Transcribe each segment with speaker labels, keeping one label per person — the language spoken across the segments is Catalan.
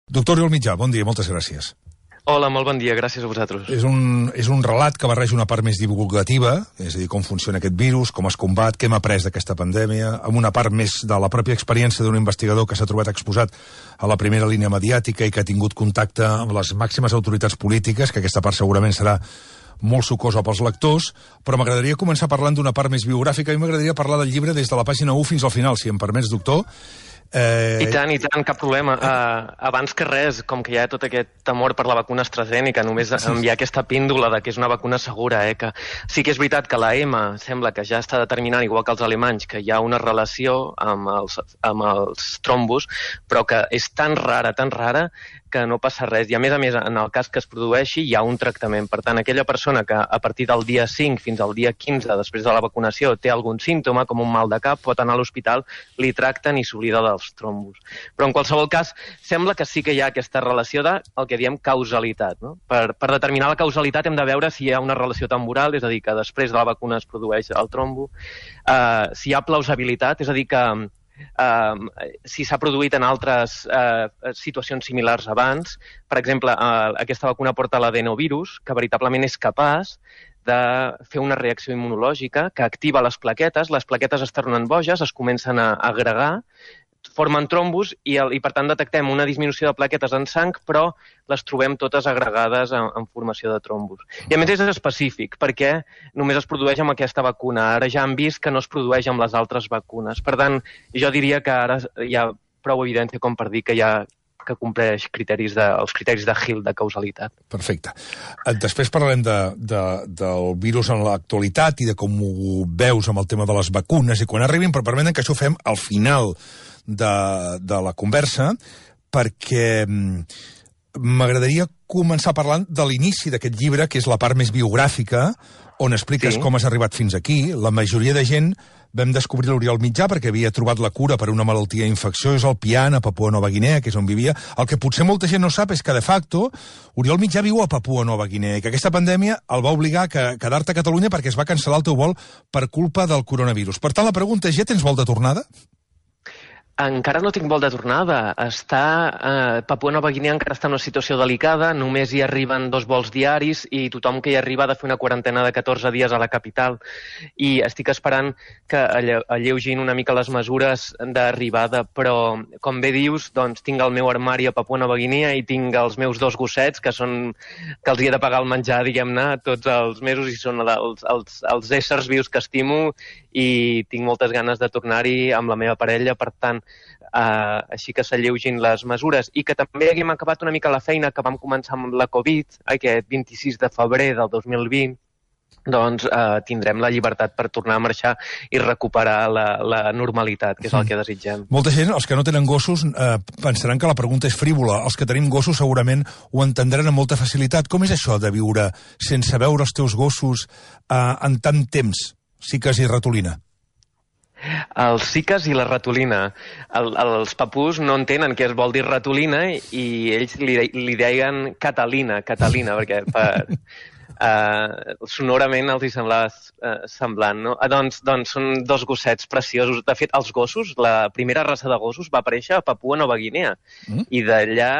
Speaker 1: Doctor Oriol Mitjà, bon dia, moltes gràcies.
Speaker 2: Hola, molt bon dia, gràcies a vosaltres.
Speaker 1: És un relat que barreja una part més divulgativa, és a dir, com funciona aquest virus, com es combat, què hem après d'aquesta pandèmia, amb una part més de la pròpia experiència d'un investigador que s'ha trobat exposat a la primera línia mediàtica i que ha tingut contacte amb les màximes autoritats polítiques, que aquesta part segurament serà molt sucosa pels lectors, però m'agradaria començar parlant d'una part més biogràfica. A mi m'agradaria parlar del llibre des de la pàgina 1 fins al final, si em permets, doctor.
Speaker 2: I tant, cap problema. Abans que res, com que hi ha tot aquest temor per la vacuna AstraZeneca, només enviar aquesta píndola de que és una vacuna segura, que sí que és veritat que la EMA sembla que ja està determinant, igual que els alemanys, que hi ha una relació amb els trombos, però que és tan rara, que no passa res. I a més, en el cas que es produeixi, hi ha un tractament. Per tant, aquella persona que a partir del dia 5 fins al dia 15, després de la vacunació, té algun símptoma, com un mal de cap, pot anar a l'hospital, li tracten i s'oblida dels trombos. Però en qualsevol cas, sembla que sí que hi ha aquesta relació de el que diem causalitat. No? Per determinar la causalitat hem de veure si hi ha una relació temporal, és a dir, que després de la vacuna es produeix el trombo, si hi ha plausibilitat, és a dir, que si s'ha produït en altres situacions similars abans. Per exemple, aquesta vacuna porta l'adenovirus, que veritablement és capaç de fer una reacció immunològica que activa les plaquetes es tornen boges, es comencen a agregar, formen trombos i per tant detectem una disminució de plaquetes en sang, però les trobem totes agregades en formació de trombos. I a més és específic, perquè només es produeix amb aquesta vacuna. Ara ja han vist que no es produeix amb les altres vacunes. Per tant, jo diria que ara hi ha prou evidència com per dir que compleix els criteris de Hill de causalitat.
Speaker 1: Perfecte. Després parlarem del virus en l'actualitat i de com ho veus amb el tema de les vacunes i quan arribin, però permeten que això ho fem al final de la conversa, perquè m'agradaria començar parlant de l'inici d'aquest llibre, que és la part més biogràfica, on expliques com has arribat fins aquí. La majoria de gent vam descobrir l'Oriol Mitjà perquè havia trobat la cura per una malaltia infecciosa al Pian, a Papua Nova Guinea, que és on vivia. El que potser molta gent no sap és que, de facto, Oriol Mitjà viu a Papua Nova Guinea i que aquesta pandèmia el va obligar a quedar-te a Catalunya perquè es va cancel·lar el teu vol per culpa del coronavirus. Per tant, la pregunta és, ja tens vol de tornada?
Speaker 2: Encara no tinc vol de tornada. Papua Nova Guinea encara està en una situació delicada, només hi arriben 2 vols diaris i tothom que hi arriba ha de fer una quarantena de 14 dies a la capital. I estic esperant que alleugin una mica les mesures d'arribada, però, com bé dius, doncs tinc el meu armari a Papua Nova Guinea i tinc els meus 2 gossets, que els hi he de pagar el menjar, diguem-ne, tots els mesos, i són els éssers vius que estimo, i tinc moltes ganes de tornar-hi amb la meva parella. Per tant, així que s'alleugin les mesures i que també haguem acabat una mica la feina que vam començar amb la Covid, aquest 26 de febrer del 2020, doncs tindrem la llibertat per tornar a marxar i recuperar la normalitat, que és el que desitgem.
Speaker 1: Molta gent, els que no tenen gossos, pensaran que la pregunta és frívola. Els que tenim gossos segurament ho entendran amb molta facilitat. Com és això de viure sense veure els teus gossos en tant temps? Ciques i ratolina.
Speaker 2: Els ciques i la ratolina. Els papús no entenen què es vol dir ratolina i ells li deien Catalina, perquè sonorament els hi semblava semblant, no? Doncs són 2 gossets preciosos. De fet, els gossos, la primera raça de gossos va aparèixer a Papua Nova Guinea i d'allà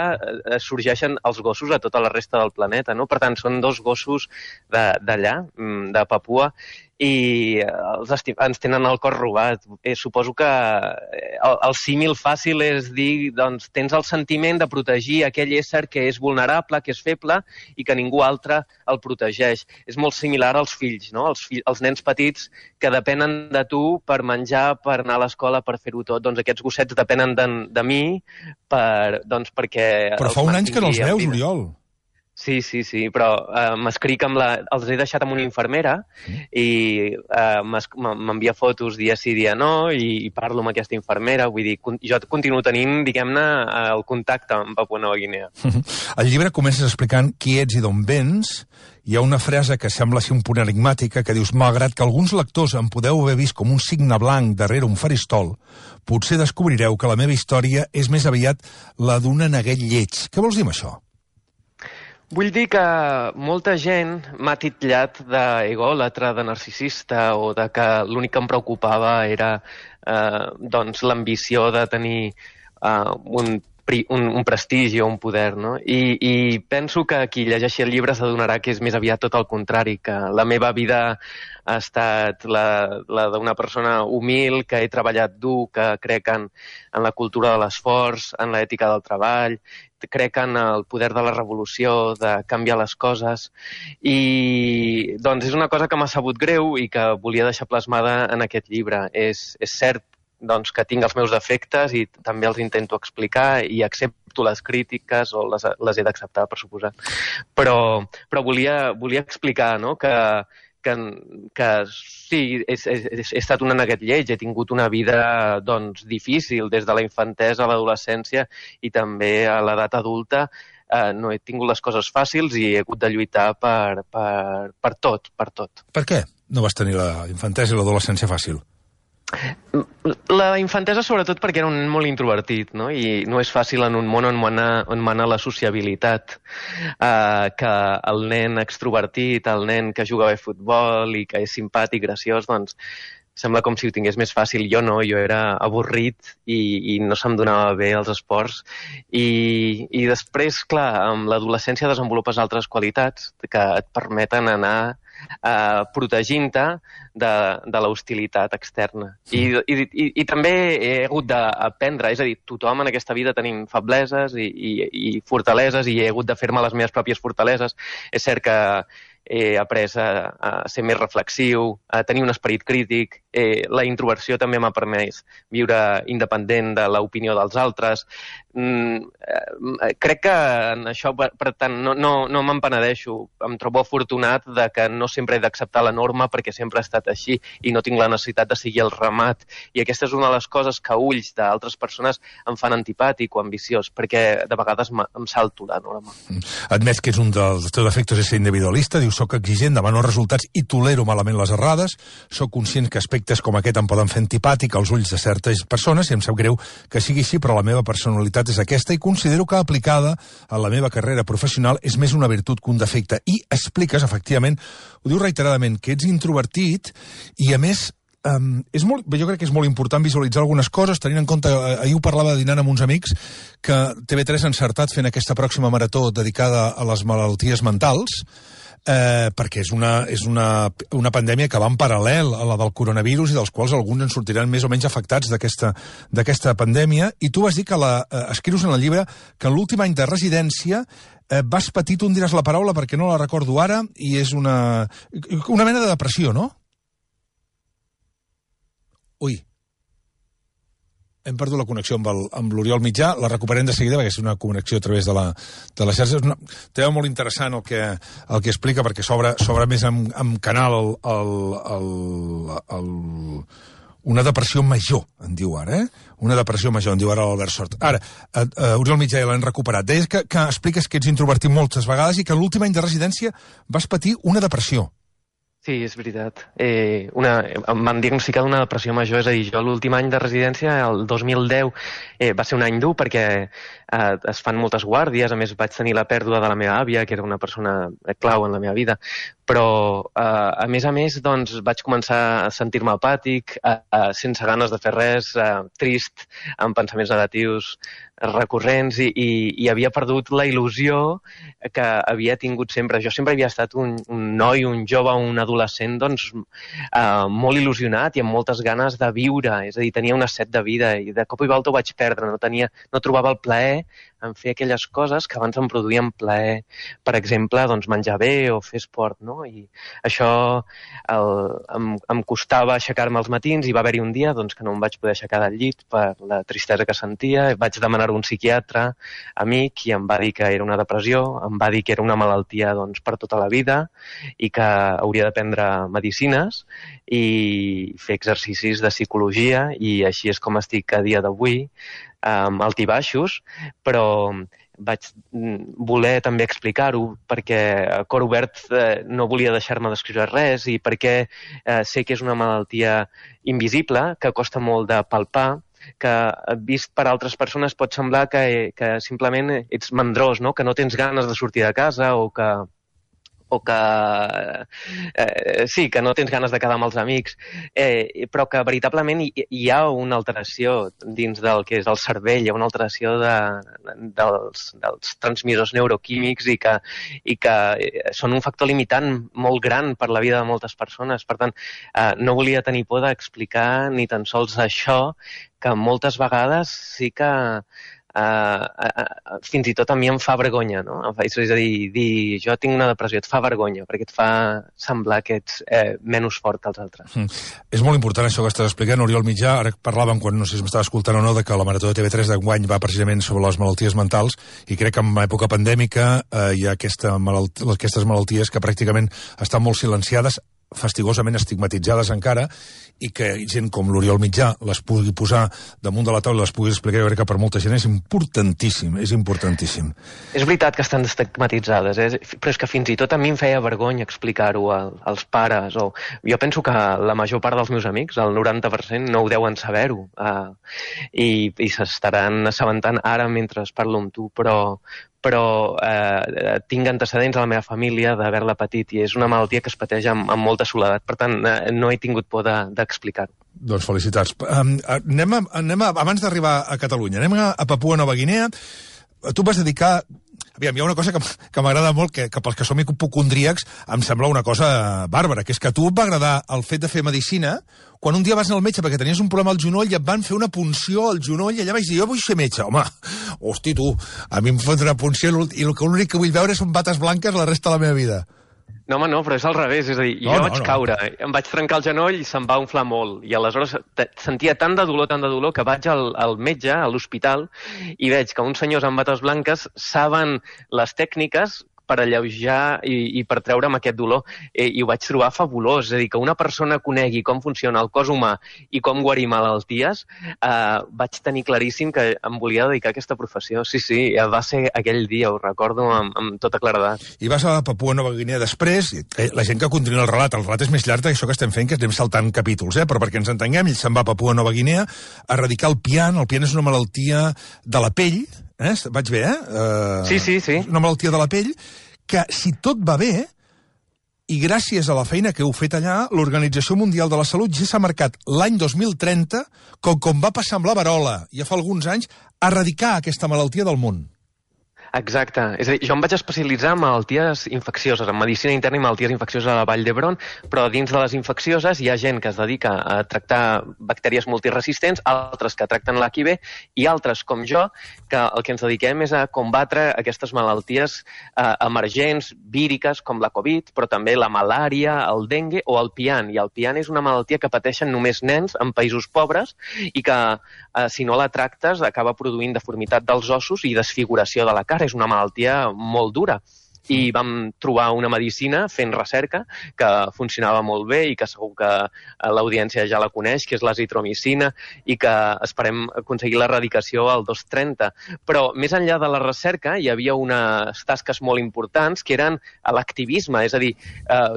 Speaker 2: sorgeixen els gossos a tota la resta del planeta, no? Per tant, són 2 gossos d'allà, de Papua, i ens tenen el cor robat. Suposo que el símil fàcil és dir, doncs, tens el sentiment de protegir aquell ésser que és vulnerable, que és feble i que ningú altre el protegeix. És molt similar als fills, no? Els nens petits que depenen de tu per menjar, per anar a l'escola, per fer-ho tot. Doncs aquests gossets depenen de mi perquè...
Speaker 1: Però fa un any que no els veus, Oriol.
Speaker 2: Sí, però m'escric els he deixat amb una infermera i m'envia fotos dia sí, dia no, i parlo amb aquesta infermera. Vull dir, jo continuo tenint, diguem-ne, el contacte amb Papua Nova Guinea.
Speaker 1: Al llibre comences explicant qui ets i d'on vens. Hi ha una frase que sembla ser un punt enigmàtica que dius, malgrat que alguns lectors em podeu haver vist com un signe blanc darrere un faristol, potser descobrireu que la meva història és més aviat la d'un neguet lleig. Què vols dir amb això?
Speaker 2: Vull dir que molta gent m'ha titllat d'egòlatra, de narcisista, o de que l'únic que em preocupava era l'ambició de tenir un un prestigi o un poder, no? I penso que qui llegeixi el llibre s'adonarà que és més aviat tot el contrari, que la meva vida ha estat la d'una persona humil, que he treballat dur, que crec en la cultura de l'esforç, en l'ètica del treball, crec en el poder de la revolució, de canviar les coses, i doncs és una cosa que m'ha sabut greu i que volia deixar plasmada en aquest llibre. És cert doncs, que tinc els meus defectes i també els intento explicar i accepto les crítiques o les he d'acceptar, per suposat. Però volia explicar, no?, que sí, he estat un neguet lleig, he tingut una vida doncs, difícil des de la infantesa a l'adolescència i també a l'edat adulta. No he tingut les coses fàcils i he hagut de lluitar per tot.
Speaker 1: Per què no vas tenir la infantesa i l'adolescència fàcil?
Speaker 2: La infantesa sobretot perquè era un nen molt introvertit, no? I no és fàcil en un món on mana la sociabilitat, que el nen extrovertit, el nen que juga bé a futbol i que és simpàtic, graciós, doncs sembla com si ho tingués més fàcil. Jo no, jo era avorrit i no se'm donava bé els esports. I després, clar, amb l'adolescència desenvolupes altres qualitats que et permeten anar protegint-te de l'hostilitat externa. I també he hagut d'aprendre, és a dir, tothom en aquesta vida tenim febleses i fortaleses i he hagut de fer-me les meves pròpies fortaleses. És cert que he après a ser més reflexiu, a tenir un esperit crític. La introversió també m'ha permès viure independent de l'opinió dels altres. Crec que en això, per tant, no me'n penedeixo. Em trobo afortunat de que no sempre he d'acceptar la norma perquè sempre ha estat així i no tinc la necessitat de seguir el ramat. I aquesta és una de les coses que a ulls d'altres persones em fan antipàtic o ambiciós, perquè de vegades em salto la norma.
Speaker 1: Admets que és un dels teus defectes és ser individualista, dius, soc exigent, demano resultats i tolero malament les errades, soc conscient que aspectes com aquest em poden fer antipàtic als ulls de certes persones i em sap greu que sigui així, però la meva personalitat és aquesta i considero que aplicada a la meva carrera professional és més una virtut que un defecte. I expliques, efectivament, ho dius reiteradament, que ets introvertit i, a més, jo crec que és molt important visualitzar algunes coses, tenint en compte, ahir ho parlava dinant amb uns amics, que TV3 ha encertat fent aquesta pròxima marató dedicada a les malalties mentals, perquè és una pandèmia que va en paral·lel a la del coronavirus i dels quals alguns en sortiran més o menys afectats d'aquesta pandèmia. I tu vas dir que escrius en el llibre que en l'últim any de residència vas patir, tu em diràs la paraula perquè no la recordo ara, i és una mena de depressió, no? Ui, hem perdut la connexió amb l'Oriol Mitjà, la recuperem de seguida perquè és una connexió a través de la xarxa. És un tema molt interessant el que explica, perquè s'obre més amb canal una depressió major, en diu ara, Una depressió major, en diu ara l'Albert Sort. Ara, Oriol Mitjà ja l'hem recuperat. Deies que expliques que ets introvertit moltes vegades i que l'últim any de residència vas patir una depressió.
Speaker 2: Sí, és veritat. Em van diagnosticar d'una depressió major, és a dir, jo l'últim any de residència, el 2010, va ser un any dur perquè es fan moltes guàrdies, a més vaig tenir la pèrdua de la meva àvia, que era una persona clau en la meva vida, però a més, doncs, vaig començar a sentir-me apàtic, sense ganes de fer res, trist, amb pensaments negatius recurrents i havia perdut la il·lusió que havia tingut sempre. Jo sempre havia estat un noi, un jove, un adolescent, doncs, molt il·lusionat i amb moltes ganes de viure, és a dir, tenia una set de vida i de cop i volta ho vaig perdre, no trobava el plaer en fer aquelles coses que abans em produïen plaer. Per exemple, doncs, menjar bé o fer esport, no? I això em costava aixecar-me als matins i va haver-hi un dia doncs, que no em vaig poder aixecar del llit per la tristesa que sentia. Vaig demanar un psiquiatre amic i em va dir que era una depressió, em va dir que era una malaltia doncs, per tota la vida i que hauria de prendre medicines i fer exercicis de psicologia, i així és com estic a dia d'avui, altibaixos, però vaig voler també explicar-ho perquè a cor obert no volia deixar-me d'escriure res i perquè sé que és una malaltia invisible, que costa molt de palpar, que vist per altres persones pot semblar que simplement ets mandrós, no? Que no tens ganes de sortir de casa o o que sí, que no tens ganes de quedar amb els amics, però que veritablement hi ha una alteració dins del que és el cervell, hi ha una alteració dels transmissors neuroquímics i que són un factor limitant molt gran per la vida de moltes persones. Per tant, no volia tenir por d'explicar ni tan sols això, que moltes vegades sí que fins i tot a mi em fa vergonya, no? És a dir, jo tinc una depressió, et fa vergonya, perquè et fa semblar que ets menys fort que els altres.
Speaker 1: És molt important això que estàs explicant, Oriol Mitjà. Ara parlàvem, quan no sé si m'estava escoltant o no, de que la Marató de TV3 d'enguany va precisament sobre les malalties mentals, i crec que en època pandèmica hi ha aquestes malalties que pràcticament estan molt silenciades, fastigosament estigmatitzades encara, i que gent com l'Oriol Mitjà les pugui posar damunt de la taula i les pugui explicar, jo crec que per molta gent és importantíssim, és importantíssim.
Speaker 2: És veritat que estan estigmatitzades, però és que fins i tot a mi em feia vergonya explicar-ho als pares, o jo penso que la major part dels meus amics, el 90%, no ho deuen saber-ho, i s'estaran assabentant ara mentre parlo amb tu, però tinc antecedents a la meva família d'haver-la patit, i és una malaltia que es pateix amb molta soledat. Per tant, no he tingut por d'explicar-ho.
Speaker 1: Doncs felicitats. Anem abans d'arribar a Catalunya, anem a Papua Nova Guinea. Tu vas dedicar... Aviam, hi ha una cosa que m'agrada molt, que pels que som hipocondríacs em sembla una cosa bàrbara, que és que a tu et va agradar el fet de fer medicina quan un dia vas anar al metge perquè tenies un problema al genoll i et van fer una punció al genoll, i allà vaig dir, jo vull ser metge. Home, hosti, tu, a mi em fot una punció i l'únic que vull veure són bates blanques la resta de la meva vida.
Speaker 2: No, home, no, però és al revés, és a dir, jo vaig caure, em vaig trencar el genoll i se'm va inflar molt, i aleshores sentia tant de dolor, que vaig al metge, a l'hospital, i veig que uns senyors amb bates blanques saben les tècniques per alleujar i per treure'm aquest dolor, i ho vaig trobar fabulós. És a dir, que una persona conegui com funciona el cos humà i com guarir malalties, vaig tenir claríssim que em volia dedicar a aquesta professió. Sí, va ser aquell dia, ho recordo amb tota claredat.
Speaker 1: I vas a Papua Nova Guinea després, la gent que continua el relat és més llarg d'això que estem fent, que estem saltant capítols, però perquè ens entenguem, ell se'n va a Papua Nova Guinea a erradicar el pian. El pian és una malaltia de la pell, vaig bé,
Speaker 2: Sí.
Speaker 1: Una malaltia de la pell que, si tot va bé, i gràcies a la feina que heu fet allà, l'Organització Mundial de la Salut ja s'ha marcat l'any 2030, com va passar amb la verola ja fa alguns anys, a erradicar aquesta malaltia del món.
Speaker 2: Exacte. És a dir, jo em vaig especialitzar en malalties infeccioses, en medicina interna i malalties infeccioses a la Vall d'Hebron, però dins de les infeccioses hi ha gent que es dedica a tractar bactèries multiresistents, altres que tracten l'HIV, i altres, com jo, que el que ens dediquem és a combatre aquestes malalties emergents, víriques, com la Covid, però també la malària, el dengue o el pian. I el pian és una malaltia que pateixen només nens en països pobres i que, si no la tractes, acaba produint deformitat dels ossos i desfiguració de la cara. És una malaltia molt dura. I vam trobar una medicina fent recerca que funcionava molt bé i que segur que l'audiència ja la coneix, que és l'azitromicina, i que esperem aconseguir l'erradicació al 2030. Però més enllà de la recerca hi havia unes tasques molt importants que eren l'activisme, és a dir,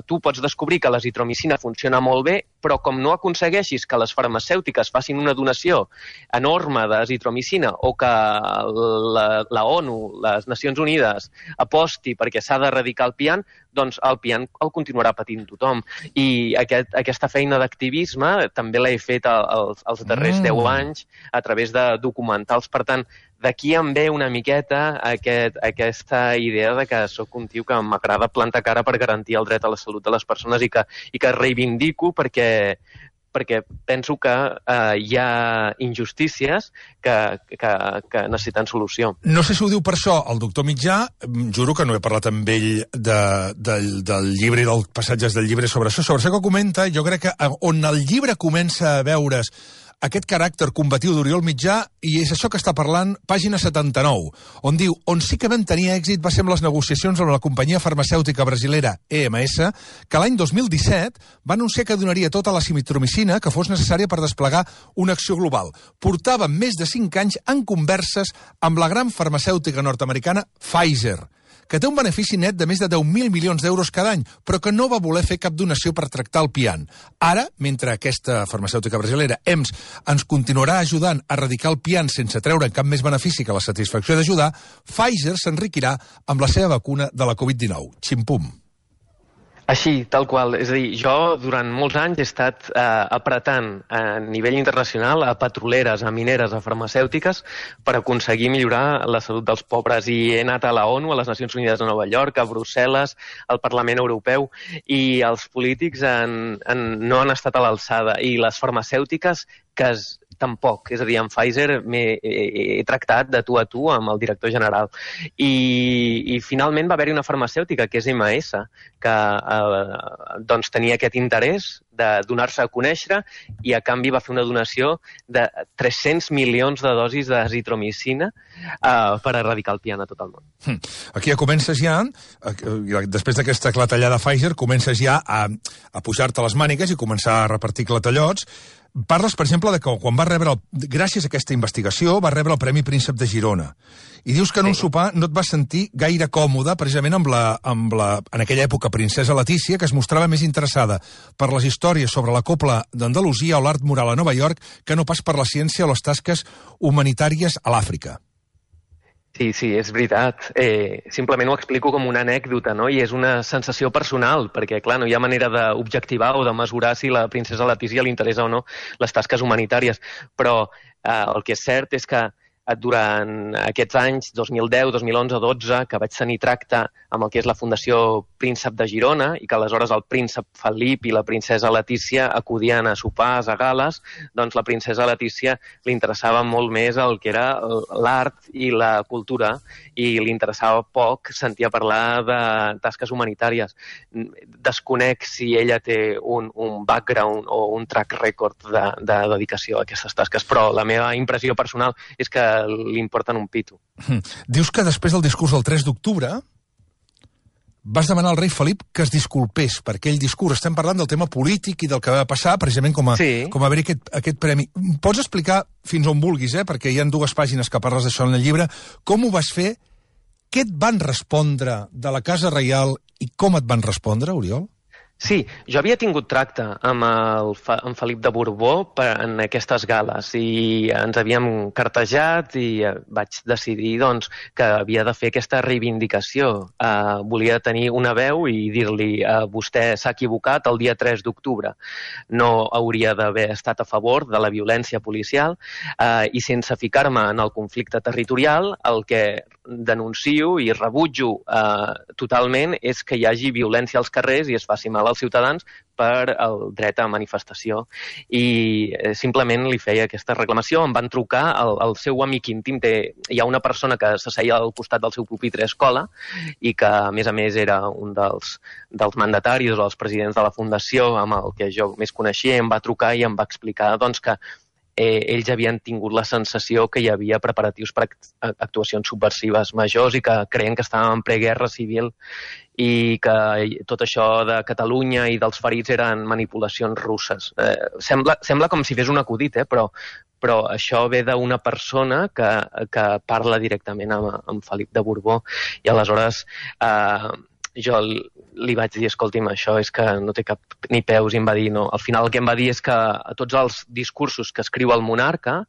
Speaker 2: tu pots descobrir que l'azitromicina funciona molt bé, però com no aconsegueixis que les farmacèutiques facin una donació enorme d'azitromicina o que la ONU, les Nacions Unides, aposti perquè s'ha d'erradicar el pian, doncs el pian el continuarà patint tothom. I aquesta feina d'activisme també l'he fet els darrers 10 anys a través de documentals. Per tant, d'aquí em ve una miqueta aquesta idea de que sóc un tio que m'agrada plantar cara per garantir el dret a la salut de les persones i que reivindico perquè penso que hi ha injustícies que necessiten solució.
Speaker 1: No sé si ho diu per això el doctor Mitjà, juro que no he parlat amb ell del llibre i dels passatges del llibre sobre això que comenta. Jo crec que on el llibre comença a veure's aquest caràcter combatiu d'Oriol Mitjà, i és això que està parlant, pàgina 79, on diu, on sí que vam tenir èxit va ser amb les negociacions amb la companyia farmacèutica brasilera EMS, que l'any 2017 va anunciar que donaria tota la azitromicina que fos necessària per desplegar una acció global. Portàvem més de 5 anys en converses amb la gran farmacèutica nord-americana Pfizer, que té un benefici net de més de 10.000 milions d'euros cada any, però que no va voler fer cap donació per tractar el pian. Ara, mentre aquesta farmacèutica brasilera, EMS, ens continuarà ajudant a erradicar el pian sense treure cap més benefici que la satisfacció d'ajudar, Pfizer s'enriquirà amb la seva vacuna de la Covid-19. Ximpum.
Speaker 2: Així, tal qual. És a dir, jo durant molts anys he estat apretant a nivell internacional a petroleres, a mineres, a farmacèutiques per aconseguir millorar la salut dels pobres. I he anat a la ONU, a les Nacions Unides de Nova York, a Brussel·les, al Parlament Europeu, i els polítics no han estat a l'alçada. I les farmacèutiques tampoc. És a dir, amb Pfizer he tractat de tu a tu amb el director general. I finalment va haver-hi una farmacèutica, que és MS, que doncs tenia aquest interès de donar-se a conèixer i a canvi va fer una donació de 300 milions de dosis d'azitromicina per erradicar el pian a tot el món.
Speaker 1: Aquí ja comences després d'aquesta clatellada Pfizer, comences ja a pujar-te les mànigues i començar a repartir clatellots. Parles, per exemple, de que quan va rebre, gràcies a aquesta investigació, va rebre el Premi Príncep de Girona. I dius que en un sopar no et vas sentir gaire còmode, precisament amb la, en aquella època, princesa Letícia, que es mostrava més interessada per les històries sobre la copla d'Andalusia o l'art moral a Nova York que no pas per la ciència o les tasques humanitàries a l'Àfrica.
Speaker 2: Sí, és veritat. Simplement ho explico com una anècdota, no? I és una sensació personal, perquè, clar, no hi ha manera d'objectivar o de mesurar si la princesa Letícia li interessa o no les tasques humanitàries. Però el que és cert és que durant aquests anys, 2010, 2011, 2012, que vaig tenir tracte amb el que és la Fundació Príncep de Girona i que aleshores el príncep Felip i la princesa Letícia acudien a sopars, a gales, doncs la princesa Letícia li interessava molt més el que era l'art i la cultura i li interessava poc sentir a parlar de tasques humanitàries. Desconec si ella té un background o un track record de dedicació a aquestes tasques, però la meva impressió personal és que li importen un pito.
Speaker 1: Dius que després del discurs del 3 d'octubre vas demanar al rei Felip que es disculpés per aquell discurs. Estem parlant del tema polític i del que va passar, precisament com a haver-hi aquest premi. Pots explicar fins on vulguis, perquè hi ha 2 pàgines que parles d'això en el llibre, com ho vas fer, què et van respondre de la Casa Reial i com et van respondre, Oriol?
Speaker 2: Sí, jo havia tingut tracte amb Felip de Borbó en aquestes gales i ens havíem cartejat i vaig decidir doncs, que havia de fer aquesta reivindicació. Volia tenir una veu i dir-li vostè s'ha equivocat el dia 3 d'octubre. No hauria d'haver estat a favor de la violència policial i sense ficar-me en el conflicte territorial, el que denuncio i rebutjo totalment és que hi hagi violència als carrers i es faci mal als ciutadans per el dret a manifestació. I simplement li feia aquesta reclamació. Em van trucar el seu amic íntim. Hi ha una persona que s'asseia al costat del seu pupitre a escola i que, a més era un dels mandataris o dels presidents de la Fundació amb el que jo més coneixia, em va trucar i em va explicar doncs, que ells havien tingut la sensació que hi havia preparatius per actuacions subversives majors i que creien que estàvem en preguerra civil i que tot això de Catalunya i dels ferits eren manipulacions russes. Sembla com si fes un acudit, però això ve d'una persona que parla directament amb Felip de Borbó i aleshores jo li vaig dir, escolti'm, això és que no té cap ni peus, i em va dir no. Al final el que em va dir és que tots els discursos que escriu el monarca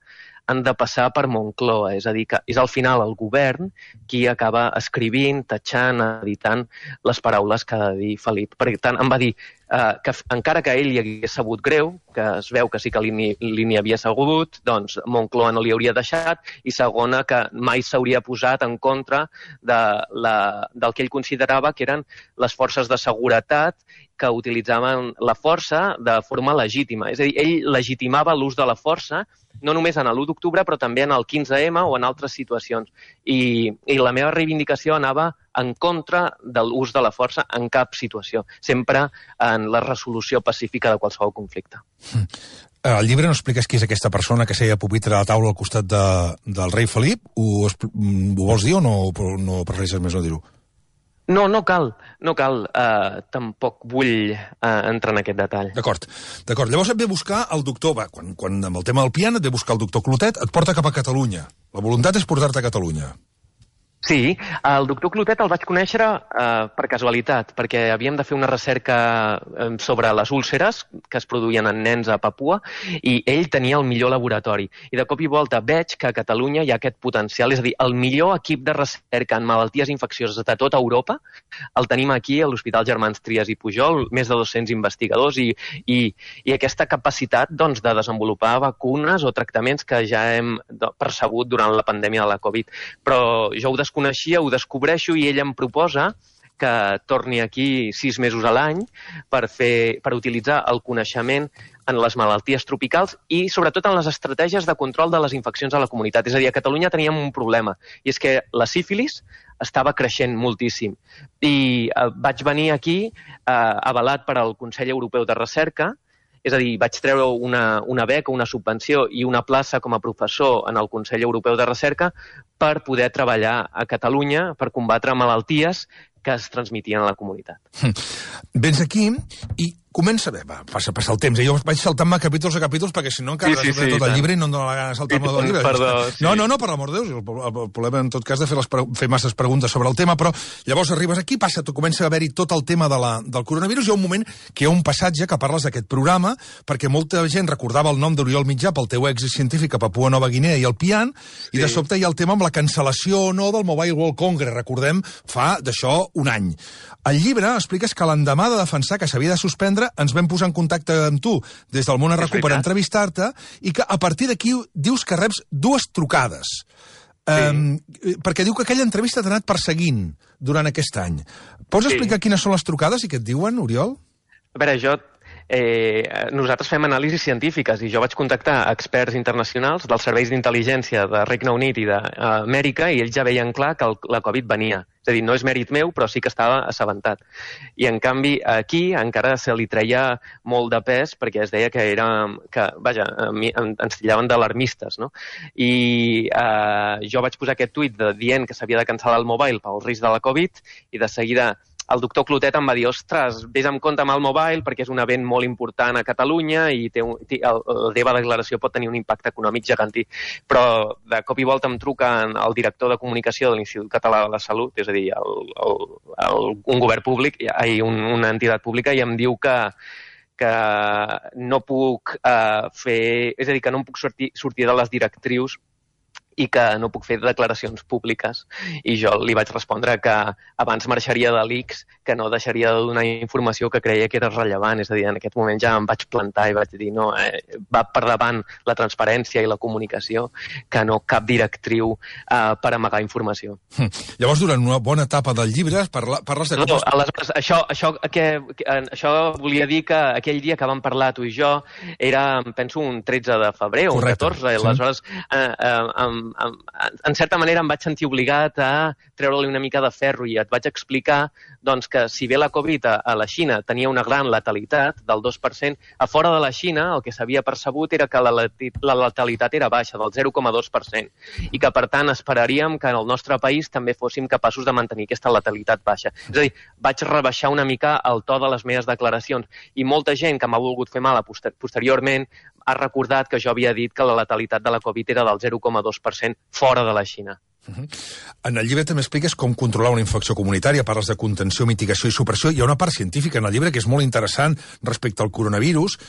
Speaker 2: han de passar per Moncloa, és a dir, que és al final el govern qui acaba escrivint, tatxant, editant les paraules que ha de dir Felip. Per tant, em va dir que encara que ell hi hagués sabut greu, que es veu que sí que li n'hi havia sabut, doncs Moncloa no li hauria deixat, i segona, que mai s'hauria posat en contra del que ell considerava que eren les forces de seguretat que utilitzaven la força de forma legítima. És a dir, ell legitimava l'ús de la força no només en l'1 d'octubre, però també en el 15M o en altres situacions. I la meva reivindicació anava en contra de l'ús de la força en cap situació, sempre en la resolució pacífica de qualsevol conflicte.
Speaker 1: Al llibre no expliques qui és aquesta persona que seia a pupitre a la taula al costat del rei Felip? Ho vols dir o no prefereixes més no dir-ho?
Speaker 2: No cal. Tampoc vull entrar en aquest detall.
Speaker 1: D'acord. Llavors et ve buscar el doctor, quan amb el tema del piano et ve buscar el doctor Clotet, et porta cap a Catalunya. La voluntat és portar-te a Catalunya.
Speaker 2: Sí, el doctor Clotet el vaig conèixer per casualitat, perquè havíem de fer una recerca sobre les úlceres que es produïen en nens a Papua i ell tenia el millor laboratori. I de cop i volta veig que a Catalunya hi ha aquest potencial, és a dir, el millor equip de recerca en malalties infeccioses de tota Europa el tenim aquí a l'Hospital Germans Trias i Pujol, més de 200 investigadors i aquesta capacitat doncs, de desenvolupar vacunes o tractaments que ja hem percebut durant la pandèmia de la Covid. Però jo ho coneixia, ho descobreixo i ell em proposa que torni aquí 6 mesos a l'any per utilitzar el coneixement en les malalties tropicals i sobretot en les estratègies de control de les infeccions a la comunitat. És a dir, a Catalunya teníem un problema i és que la sífilis estava creixent moltíssim. I vaig venir aquí avalat per al Consell Europeu de Recerca. És a dir, vaig treure una beca, una subvenció i una plaça com a professor en el Consell Europeu de Recerca per poder treballar a Catalunya per combatre malalties que es transmetien a la comunitat.
Speaker 1: Vens aquí i comença bé, passa el temps. Jo vaig saltant-me capítols a capítols perquè si no encara resoldré tot el llibre i no em dóna la gana de saltar-me tot el llibre.
Speaker 2: Perdó,
Speaker 1: sí. No, per l'amor de Déu. El problema, en tot cas, de fer masses preguntes sobre el tema, però llavors arribes aquí, comença a haver-hi tot el tema del coronavirus. Hi ha un moment que hi ha un passatge que parles d'aquest programa perquè molta gent recordava el nom d'Oriol Mitjà pel teu èxit científic a Papua Nova Guinea i el Pian, i de sobte hi ha el tema amb la cancel·lació o no del Mobile World Congress, recordem, fa d'això un any. Al llibre expliques que l'endemà de defensar que s'havia de suspendre ens vam posar en contacte amb tu des del Món es Recu per entrevistar-te i que a partir d'aquí dius que reps 2 trucades. Perquè diu que aquella entrevista t'ha anat perseguint durant aquest any. Pots explicar quines són les trucades i què et diuen, Oriol?
Speaker 2: A veure, nosaltres fem anàlisis científiques i jo vaig contactar experts internacionals dels serveis d'intel·ligència de Regne Unit i d'Amèrica i ells ja veien clar que la Covid venia. És a dir, no és mèrit meu, però sí que estava assabentat. I, en canvi, aquí encara se li treia molt de pes perquè es deia que ens tillaven d'alarmistes, no? I jo vaig posar aquest tuit dient que s'havia de cancel·lar el mobile pel risc de la Covid i de seguida el doctor Clotet em va dir, ostres, vés amb compte amb el mobile perquè és un event molt important a Catalunya i la teva declaració pot tenir un impacte econòmic gegantí. Però de cop i volta em truca el director de comunicació de l'Institut Català de la Salut, és a dir, un govern públic, una entitat pública, i em diu que no puc és a dir, que no em puc sortir de les directrius i que no puc fer declaracions públiques. I jo li vaig respondre que abans marxaria de l'ICS, que no deixaria de donar informació que creia que era rellevant. És a dir, en aquest moment ja em vaig plantar i vaig dir no, va per davant la transparència i la comunicació que no cap directriu per amagar informació.
Speaker 1: Llavors, durant una bona etapa del llibre, parles de...
Speaker 2: No, aleshores, això volia dir que aquell dia que vam parlar tu i jo era, penso, un 13 de febrer o un 14. Aleshores, en certa manera em vaig sentir obligat a treure-li una mica de ferro i et vaig explicar doncs, que si bé la Covid a la Xina tenia una gran letalitat del 2%, a fora de la Xina el que s'havia percebut era que la letalitat era baixa, del 0,2%, i que per tant esperaríem que en el nostre país també fóssim capaços de mantenir aquesta letalitat baixa. És a dir, vaig rebaixar una mica el to de les meves declaracions i molta gent que m'ha volgut fer mal posteriorment ha recordat que jo havia dit que la letalitat de la Covid era del 0,2% fora de la Xina.
Speaker 1: En el llibre també expliques com controlar una infecció comunitària, parles de contenció, mitigació i supressió. Hi ha una part científica en el llibre que és molt interessant respecte al coronavirus.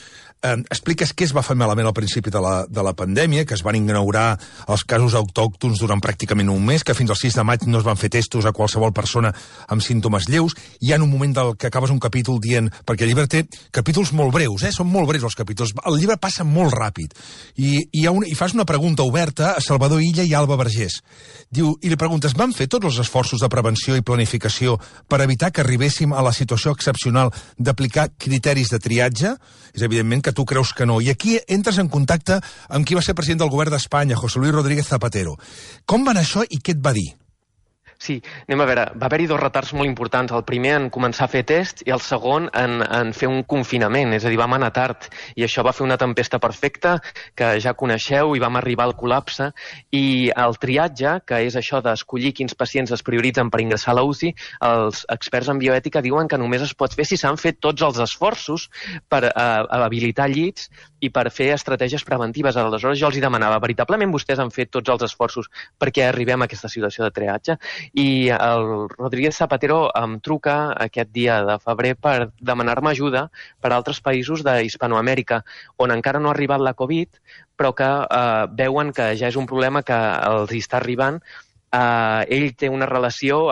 Speaker 1: Expliques què es va fer malament al principi de la pandèmia, que es van inaugurar els casos autòctons durant pràcticament un mes, que fins al 6 de maig no es van fer testos a qualsevol persona amb símptomes lleus. Hi ha un moment que acabes un capítol dient... Perquè el llibre té capítols molt breus, són molt breus els capítols. El llibre passa molt ràpid. I fas una pregunta oberta a Salvador Illa i a Alba Vergés. Diu, i li preguntes, van fer tots els esforços de prevenció i planificació per evitar que arribéssim a la situació excepcional d'aplicar criteris de triatge? És evidentment que tu creus que no. I aquí entres en contacte amb qui va ser president del govern d'Espanya, José Luis Rodríguez Zapatero. Com va anar això i què et va dir?
Speaker 2: Sí, anem a veure, va haver-hi 2 retards molt importants. El primer en començar a fer tests i el segon en fer un confinament, és a dir, vam anar tard i això va fer una tempesta perfecta que ja coneixeu i vam arribar al col·lapse. I el triatge, que és això d'escollir quins pacients es prioritzen per ingressar a la UCI, els experts en bioètica diuen que només es pot fer si s'han fet tots els esforços per habilitar llits i per fer estratègies preventives. Aleshores jo els demanava, veritablement vostès han fet tots els esforços perquè arribem a aquesta situació de triatge? I el Rodríguez Zapatero em truca aquest dia de febrer per demanar-me ajuda per a altres països d'Hispanoamèrica, on encara no ha arribat la Covid, però que veuen que ja és un problema que els hi està arribant. Ell té una relació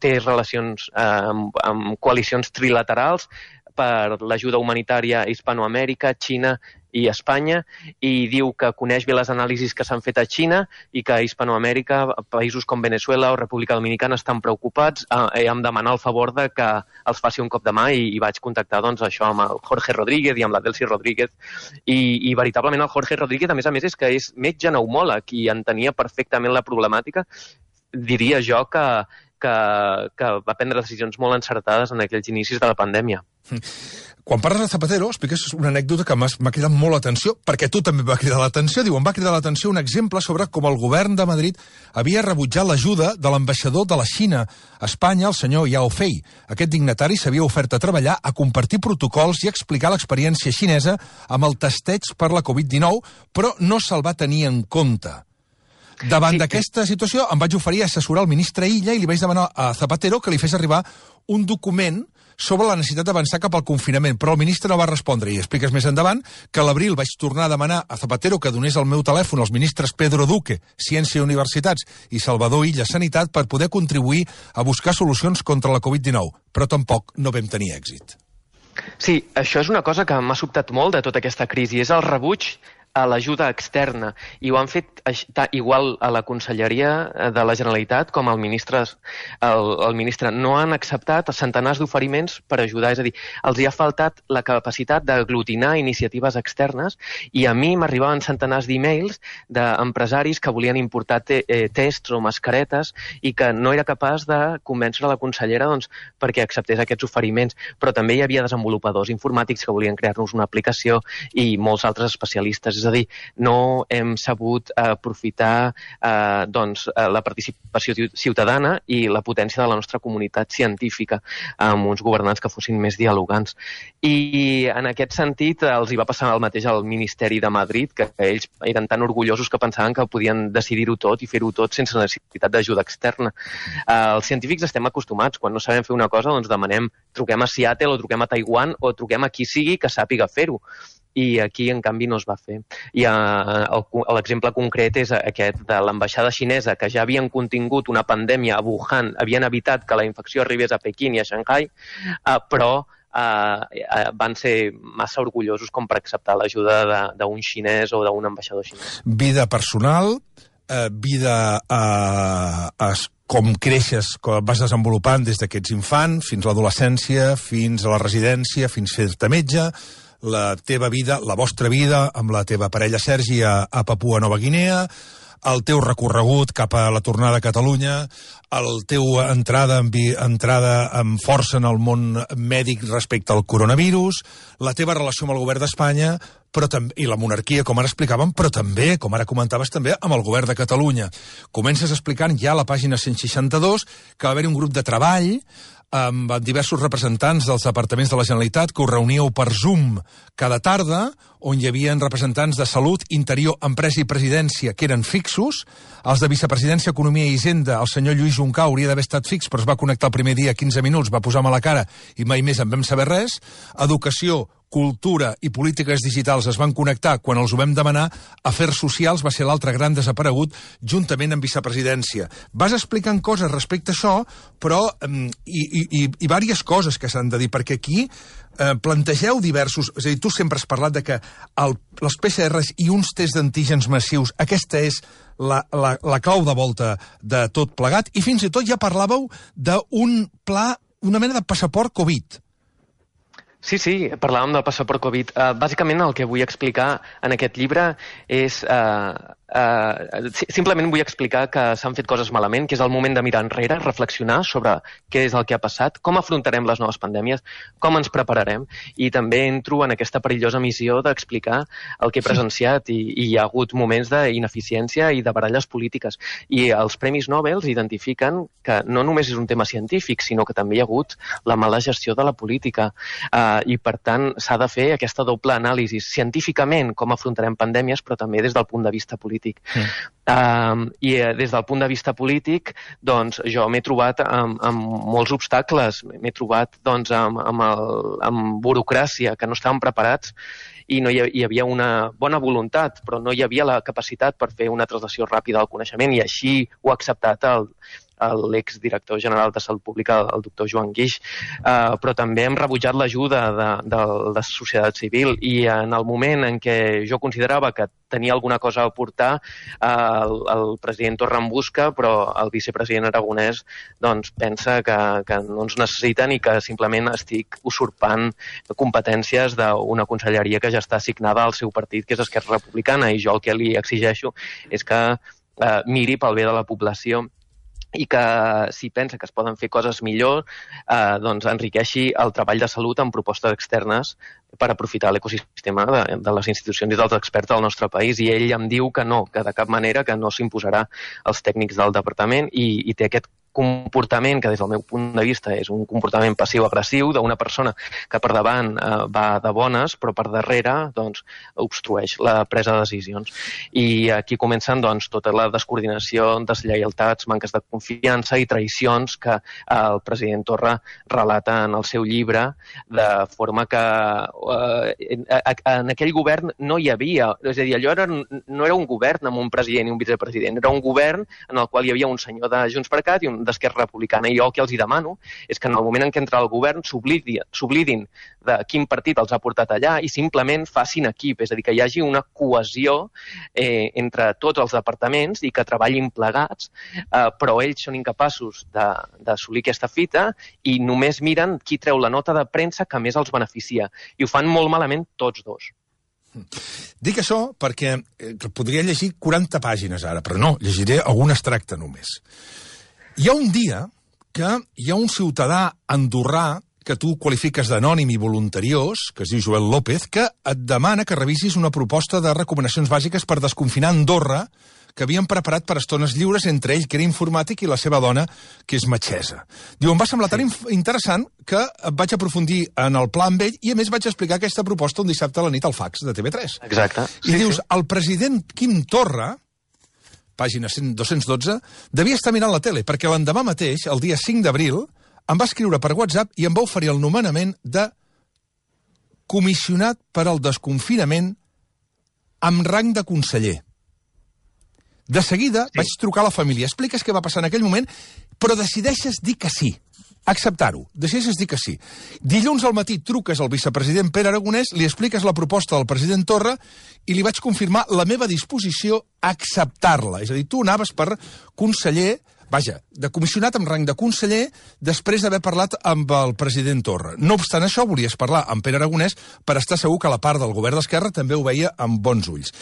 Speaker 2: té relacions amb coalicions trilaterals per l'ajuda humanitària a Hispanoamèrica, Xina i Espanya, i diu que coneix bé les anàlisis que s'han fet a Xina i que a Hispanoamèrica, països com Venezuela o República Dominicana estan preocupats, em demanar el favor de que els faci un cop de mà i vaig contactar doncs, això amb el Jorge Rodríguez i amb la Delcy Rodríguez. I veritablement el Jorge Rodríguez, a més, és que és metge pneumòleg i entenia perfectament la problemàtica. Diria jo que va prendre decisions molt encertades en aquells inicis de la pandèmia.
Speaker 1: Quan parles de Zapatero, expliques una anècdota que m'ha cridat molt l'atenció, perquè tu també va cridar l'atenció. Diu, em va cridar l'atenció un exemple sobre com el govern de Madrid havia rebutjat l'ajuda de l'ambaixador de la Xina a Espanya, el senyor Yao Fei. Aquest dignatari s'havia ofert a treballar, a compartir protocols i a explicar l'experiència xinesa amb el testeig per la Covid-19, però no se'l va tenir en compte. Davant d'aquesta situació em vaig oferir a assessorar el ministre Illa i li vaig demanar a Zapatero que li fes arribar un document sobre la necessitat d'avançar cap al confinament, però el ministre no va respondre. I expliques més endavant que a l'abril vaig tornar a demanar a Zapatero que donés el meu telèfon als ministres Pedro Duque, Ciència i Universitats, i Salvador Illa, Sanitat, per poder contribuir a buscar solucions contra la Covid-19, però tampoc no vam tenir èxit.
Speaker 2: Sí, això és una cosa que m'ha sobtat molt de tota aquesta crisi, és el rebuig a l'ajuda externa, i ho han fet igual a la Conselleria de la Generalitat com el ministre. No han acceptat centenars d'oferiments per ajudar, és a dir, els hi ha faltat la capacitat d'aglutinar iniciatives externes, i a mi m'arribaven centenars d'e-mails d'empresaris que volien importar tests o mascaretes i que no era capaç de convèncer la consellera perquè acceptés aquests oferiments, però també hi havia desenvolupadors informàtics que volien crear-nos una aplicació i molts altres especialistes. És a dir, no hem sabut aprofitar la participació ciutadana i la potència de la nostra comunitat científica amb uns governants que fossin més dialogants. I en aquest sentit els hi va passar el mateix al Ministeri de Madrid, que ells eren tan orgullosos que pensaven que podien decidir-ho tot i fer-ho tot sense necessitat d'ajuda externa. Els científics estem acostumats, quan no sabem fer una cosa, doncs demanem, truquem a Seattle o truquem a Taiwan o truquem a qui sigui que sàpiga fer-ho. I aquí, en canvi, no es va fer. I l'exemple concret és aquest de l'ambaixada xinesa, que ja havien contingut una pandèmia a Wuhan, havien evitat que la infecció arribés a Pequín i a Shanghai, però van ser massa orgullosos com per acceptar l'ajuda d'un xinès o d'un ambaixador xinès.
Speaker 1: Vida personal, vida com creixes, com vas desenvolupant des que ets infant, fins a l'adolescència, fins a la residència, fins a fer-te metge, la teva vida, la vostra vida, amb la teva parella Sergi a Papua Nova Guinea, el teu recorregut cap a la tornada a Catalunya, el teu entrada amb força en el món mèdic respecte al coronavirus, la teva relació amb el govern d'Espanya i la monarquia, com ara explicàvem, però també, com ara comentaves també, amb el govern de Catalunya. Comences explicant ja a la pàgina 162 que va haver-hi un grup de treball amb diversos representants dels departaments de la Generalitat que us reuníeu per Zoom cada tarda, on hi havia representants de Salut, Interior, Empresa i Presidència, que eren fixos. Els de Vicepresidència, Economia i Hisenda, el senyor Lluís Juncà hauria d'haver estat fix, però es va connectar el primer dia 15 minuts, va posar mala cara i mai més en vam saber res. Educació, Cultura i Polítiques Digitals es van connectar quan els ho vam demanar. Afers Socials va ser l'altre gran desaparegut, juntament amb Vicepresidència. Vas explicant coses respecte a això, però i diverses coses que s'han de dir, perquè aquí plantegeu diversos... És a dir, tu sempre has parlat de que les PCRs i uns tests d'antígens massius, aquesta és la clau de volta de tot plegat, i fins i tot ja parlàveu d'un pla, una mena de passaport Covid.
Speaker 2: Sí, parlàvem del passaport Covid. Bàsicament el que vull explicar en aquest llibre és... simplement vull explicar que s'han fet coses malament, que és el moment de mirar enrere, reflexionar sobre què és el que ha passat, com afrontarem les noves pandèmies, com ens prepararem, i també entro en aquesta perillosa missió d'explicar el que he presenciat, i hi ha hagut moments d'ineficiència i de baralles polítiques. I els Premis Nobel identifiquen que no només és un tema científic, sinó que també hi ha hagut la mala gestió de la política. I, per tant, s'ha de fer aquesta doble anàlisi científicament, com afrontarem pandèmies, però també des del punt de vista polític. I des del punt de vista polític, doncs, jo m'he trobat amb molts obstacles. M'he trobat doncs, amb burocràcia, que no estàvem preparats, i no hi havia una bona voluntat, però no hi havia la capacitat per fer una translació ràpida del coneixement, i així ho ha acceptat l'exdirector general de Salut Pública, el doctor Joan Guix, però també hem rebutjat l'ajuda de la societat civil, i en el moment en què jo considerava que tenia alguna cosa a aportar, el president Torra em busca, però el vicepresident Aragonès doncs, pensa que no ens necessiten i que simplement estic usurpant competències d'una conselleria que ja està assignada al seu partit, que és Esquerra Republicana, i jo el que li exigeixo és que miri pel bé de la població i que, si pensa que es poden fer coses millor, doncs enriqueixi el treball de salut amb propostes externes per aprofitar l'ecosistema de les institucions i dels experts del nostre país. I ell em diu que no, que de cap manera, que no s'imposarà als tècnics del departament, i té aquest comportament que des del meu punt de vista és un comportament passiu-agressiu d'una persona que per davant va de bones, però per darrere doncs, obstrueix la presa de decisions. I aquí comencen doncs, tota la descoordinació, deslleialtats, manques de confiança i traïcions que el president Torra relata en el seu llibre, de forma que en aquell govern no hi havia, és a dir, allò no era un govern amb un president i un vicepresident, era un govern en el qual hi havia un senyor de Junts per Cat i un d'Esquerra Republicana. I jo el que els hi demano és que en el moment en què entra el govern s'oblidin de quin partit els ha portat allà i simplement facin equip, és a dir, que hi hagi una cohesió entre tots els departaments i que treballin plegats, però ells són incapaços d'assolir aquesta fita i només miren qui treu la nota de premsa que més els beneficia. I ho fan molt malament tots dos.
Speaker 1: Dic això perquè podria llegir 40 pàgines ara, però no, llegiré algun extracte només. Hi ha un dia que hi ha un ciutadà andorrà que tu qualifiques d'anònim i voluntariós, que es diu Joel López, que et demana que revisis una proposta de recomanacions bàsiques per desconfinar Andorra que havien preparat per estones lliures, entre ell, que era informàtic, i la seva dona, que és metgessa. Diu, em va semblar tan interessant que vaig aprofundir en el pla amb ell i, a més, vaig explicar aquesta proposta un dissabte a la nit al fax de TV3.
Speaker 2: Exacte.
Speaker 1: I dius, el president Quim Torra, pàgina 212, devia estar mirant la tele, perquè l'endemà mateix, el dia 5 d'abril, em va escriure per WhatsApp i em va oferir el nomenament de comissionat per al desconfinament amb rang de conseller. De seguida vaig trucar a la família. Expliques què va passar en aquell moment, però decideixes dir que sí. Acceptar-ho. Decideixes dir que sí. Dilluns al matí truques al vicepresident Pere Aragonès, li expliques la proposta del president Torra i li vaig confirmar la meva disposició a acceptar-la. És a dir, tu anaves per conseller, vaja, de comissionat amb rang de conseller, després d'haver parlat amb el president Torra. No obstant això, volies parlar amb Pere Aragonès per estar segur que la part del govern d'Esquerra també ho veia amb bons ulls.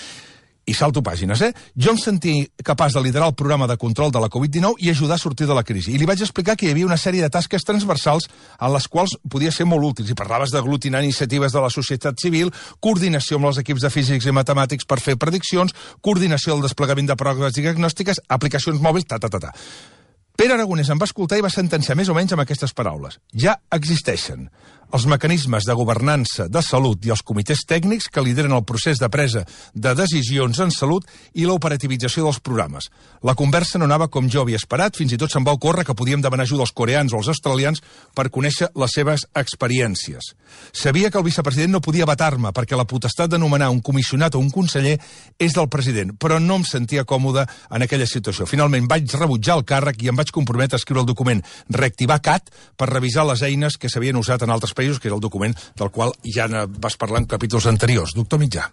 Speaker 1: I salto pàgines, Jo em sentia capaç de liderar el programa de control de la Covid-19 i ajudar a sortir de la crisi. I li vaig explicar que hi havia una sèrie de tasques transversals en les quals podia ser molt útils. I parlaves d'aglutinar iniciatives de la societat civil, coordinació amb els equips de físics i matemàtics per fer prediccions, coordinació del desplegament de proves diagnòstiques, aplicacions mòbils, Pere Aragonès em va escoltar i va sentenciar més o menys amb aquestes paraules. Ja existeixen els mecanismes de governança de salut i els comitès tècnics que lideren el procés de presa de decisions en salut i l'operativització dels programes. La conversa no anava com jo havia esperat, fins i tot se'm va ocórrer que podíem demanar ajuda als coreans o als australians per conèixer les seves experiències. Sabia que el vicepresident no podia vetar-me perquè la potestat de nomenar un comissionat o un conseller és del president, però no em sentia còmode en aquella situació. Finalment vaig rebutjar el càrrec i em vaig comprometre a escriure el document Reactivar CAT per revisar les eines que s'havien usat en altres països, que és el document del qual ja vas parlar en capítols anteriors. Doctor Mitjà.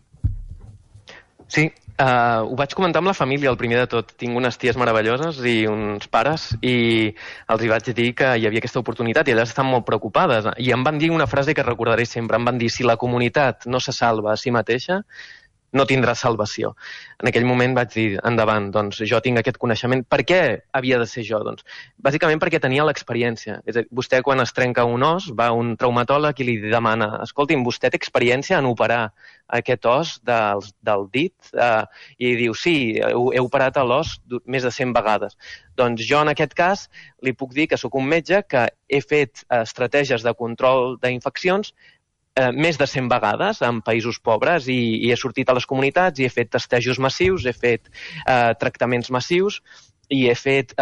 Speaker 2: Sí, ho vaig comentar amb la família, el primer de tot. Tinc unes ties meravelloses i uns pares i els hi vaig dir que hi havia aquesta oportunitat i elles estan molt preocupades. I em van dir una frase que recordaré sempre. Em van dir, si la comunitat no se salva a si mateixa, no tindrà salvació. En aquell moment vaig dir, endavant, doncs jo tinc aquest coneixement. Per què havia de ser jo? Doncs, bàsicament perquè tenia l'experiència. És a dir, vostè quan es trenca un os va a un traumatòleg i li demana, escolti'm, vostè té experiència en operar aquest os del dit? I diu, sí, he operat l'os més de 100 vegades. Doncs jo en aquest cas li puc dir que sóc un metge que he fet estratègies de control d'infeccions més de 100 vegades en països pobres i he sortit a les comunitats i he fet testejos massius, he fet tractaments massius i he fet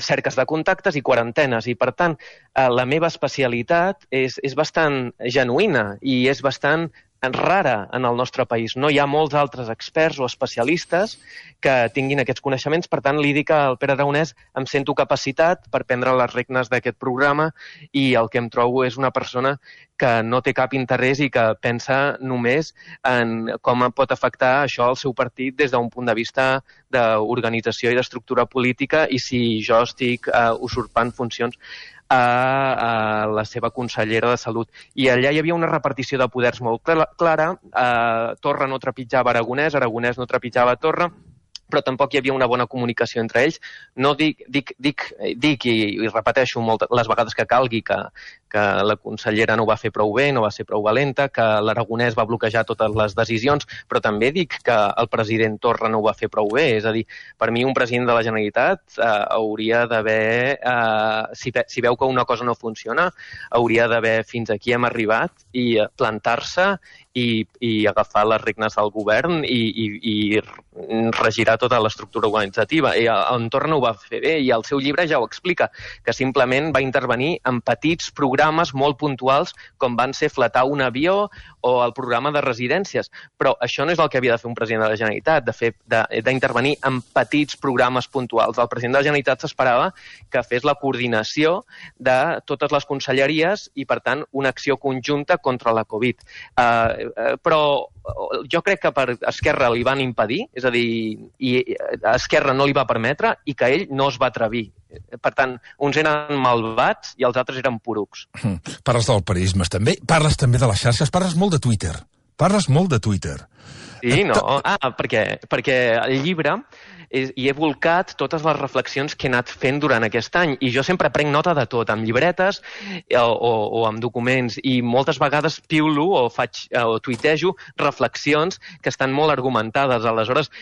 Speaker 2: cerques de contactes i quarantenes. I, per tant, la meva especialitat és bastant genuïna i és bastant rara en el nostre país. No hi ha molts altres experts o especialistes que tinguin aquests coneixements. Per tant, li dic al Pere Aragonès, em sento capacitat per prendre les regnes d'aquest programa i el que em trobo és una persona que no té cap interès i que pensa només en com pot afectar això al seu partit des d'un punt de vista d'organització i d'estructura política i si jo estic usurpant funcions a la seva consellera de Salut. I allà hi havia una repartició de poders molt clara. Torra no trepitjava Aragonès, Aragonès no trepitjava Torra, però tampoc hi havia una bona comunicació entre ells. No dic i repeteixo les vegades que calgui que la consellera no ho va fer prou bé, no va ser prou valenta, que l'Aragonès va bloquejar totes les decisions, però també dic que el president Torra no ho va fer prou bé. És a dir, per mi un president de la Generalitat hauria d'haver, si veu que una cosa no funciona, hauria d'haver fins aquí hem arribat i plantar-se i agafar les regnes del govern i regirar tota l'estructura organitzativa. I en Torra no ho va fer bé i el seu llibre ja ho explica, que simplement va intervenir en petits programes molt puntuals com van ser flatar un avió o el programa de residències. Però això no és el que havia de fer un president de la Generalitat, d'intervenir en petits programes puntuals. El president de la Generalitat s'esperava que fes la coordinació de totes les conselleries i, per tant, una acció conjunta contra la Covid. Però jo crec que per Esquerra li van impedir, és a dir, i Esquerra no li va permetre i que ell no es va atrevir. Per tant, uns eren malvats i els altres eren porucs.
Speaker 1: Parles del periodisme també, parles també de les xarxes, parles molt de Twitter. Parles molt de Twitter.
Speaker 2: Sí, no? Perquè el llibre hi he volcat totes les reflexions que he anat fent durant aquest any i jo sempre prenc nota de tot, amb llibretes o amb documents i moltes vegades piulo o tuitejo reflexions que estan molt argumentades. Aleshores,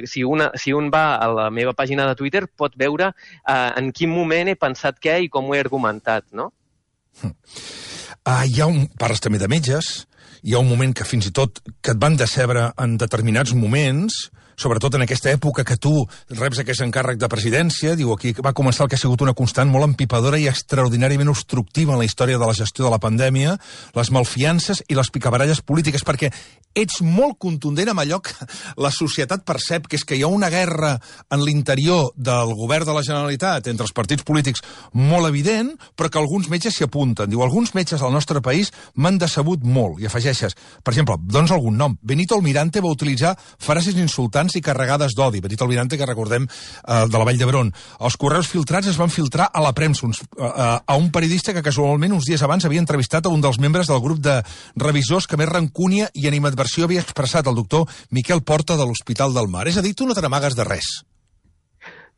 Speaker 2: si un va a la meva pàgina de Twitter pot veure en quin moment he pensat què i com ho he argumentat, no?
Speaker 1: Parles també de metges. Hi ha un moment que fins i tot que et van decebre en determinats moments, sobretot en aquesta època que tu reps aquest encàrrec de presidència. Diu, aquí va començar el que ha sigut una constant molt empipadora i extraordinàriament obstructiva en la història de la gestió de la pandèmia, les malfiances i les picabaralles polítiques, perquè ets molt contundent amb allò que la societat percep, que és que hi ha una guerra en l'interior del govern de la Generalitat entre els partits polítics molt evident, però que alguns metges s'hi apunten. Diu, alguns metges del nostre país m'han decebut molt, i afegeixes, per exemple, dones algun nom. Benito Almirante va utilitzar frases insultants i carregades d'odi. Benito Almirante, que recordem, de la Vall d'Hebron. Els correus filtrats es van filtrar a la premsa, a un periodista que casualment uns dies abans havia entrevistat a un dels membres del grup de revisors que més rancúnia i animadversió havia expressat el doctor Miquel Porta de l'Hospital del Mar. És a dir, tu no te n'amagues de res.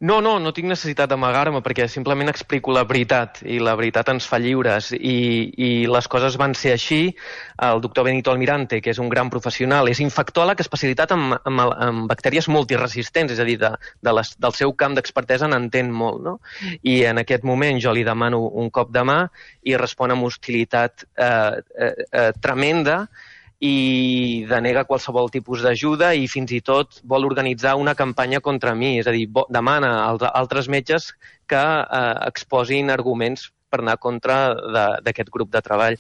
Speaker 2: No tinc necessitat d'amagar-me perquè simplement explico la veritat i la veritat ens fa lliures i les coses van ser així. El doctor Benito Almirante, que és un gran professional, és infectòleg especialitat en bactèries multiresistents, és a dir, del seu camp d'expertesa n'entén molt, no? I en aquest moment jo li demano un cop de mà i respon amb hostilitat tremenda i denega qualsevol tipus d'ajuda i fins i tot vol organitzar una campanya contra mi, és a dir, demana als altres metges que exposin arguments per anar contra d'aquest grup de treball.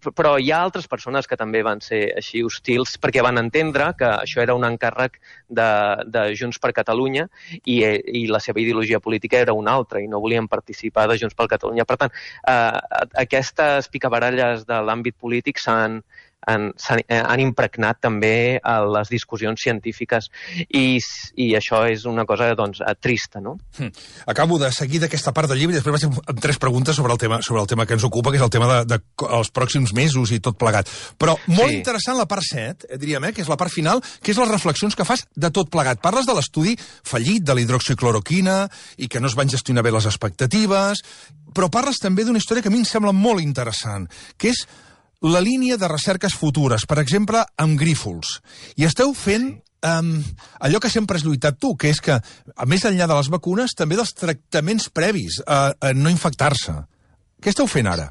Speaker 2: Però hi ha altres persones que també van ser així hostils perquè van entendre que això era un encàrrec de Junts per Catalunya i la seva ideologia política era una altra i no volien participar de Junts per Catalunya. Per tant, aquestes picabaralles de l'àmbit polític han impregnat també a les discussions científiques i això és una cosa trista, no?
Speaker 1: Acabo de seguir d'aquesta part del llibre i després vaig amb 3 preguntes sobre el tema que ens ocupa, que és el tema dels pròxims mesos i tot plegat. Però molt interessant la part 7, diríem, que és la part final, que és les reflexions que fas de tot plegat. Parles de l'estudi fallit de la hidroxicloroquina i que no es van gestionar bé les expectatives, però parles també d'una història que a mi em sembla molt interessant, que és la línia de recerques futures, per exemple, amb grífols. I esteu fent allò que sempre has lluitat tu, que és que, més enllà de les vacunes, també dels tractaments previs a no infectar-se. Què esteu fent ara?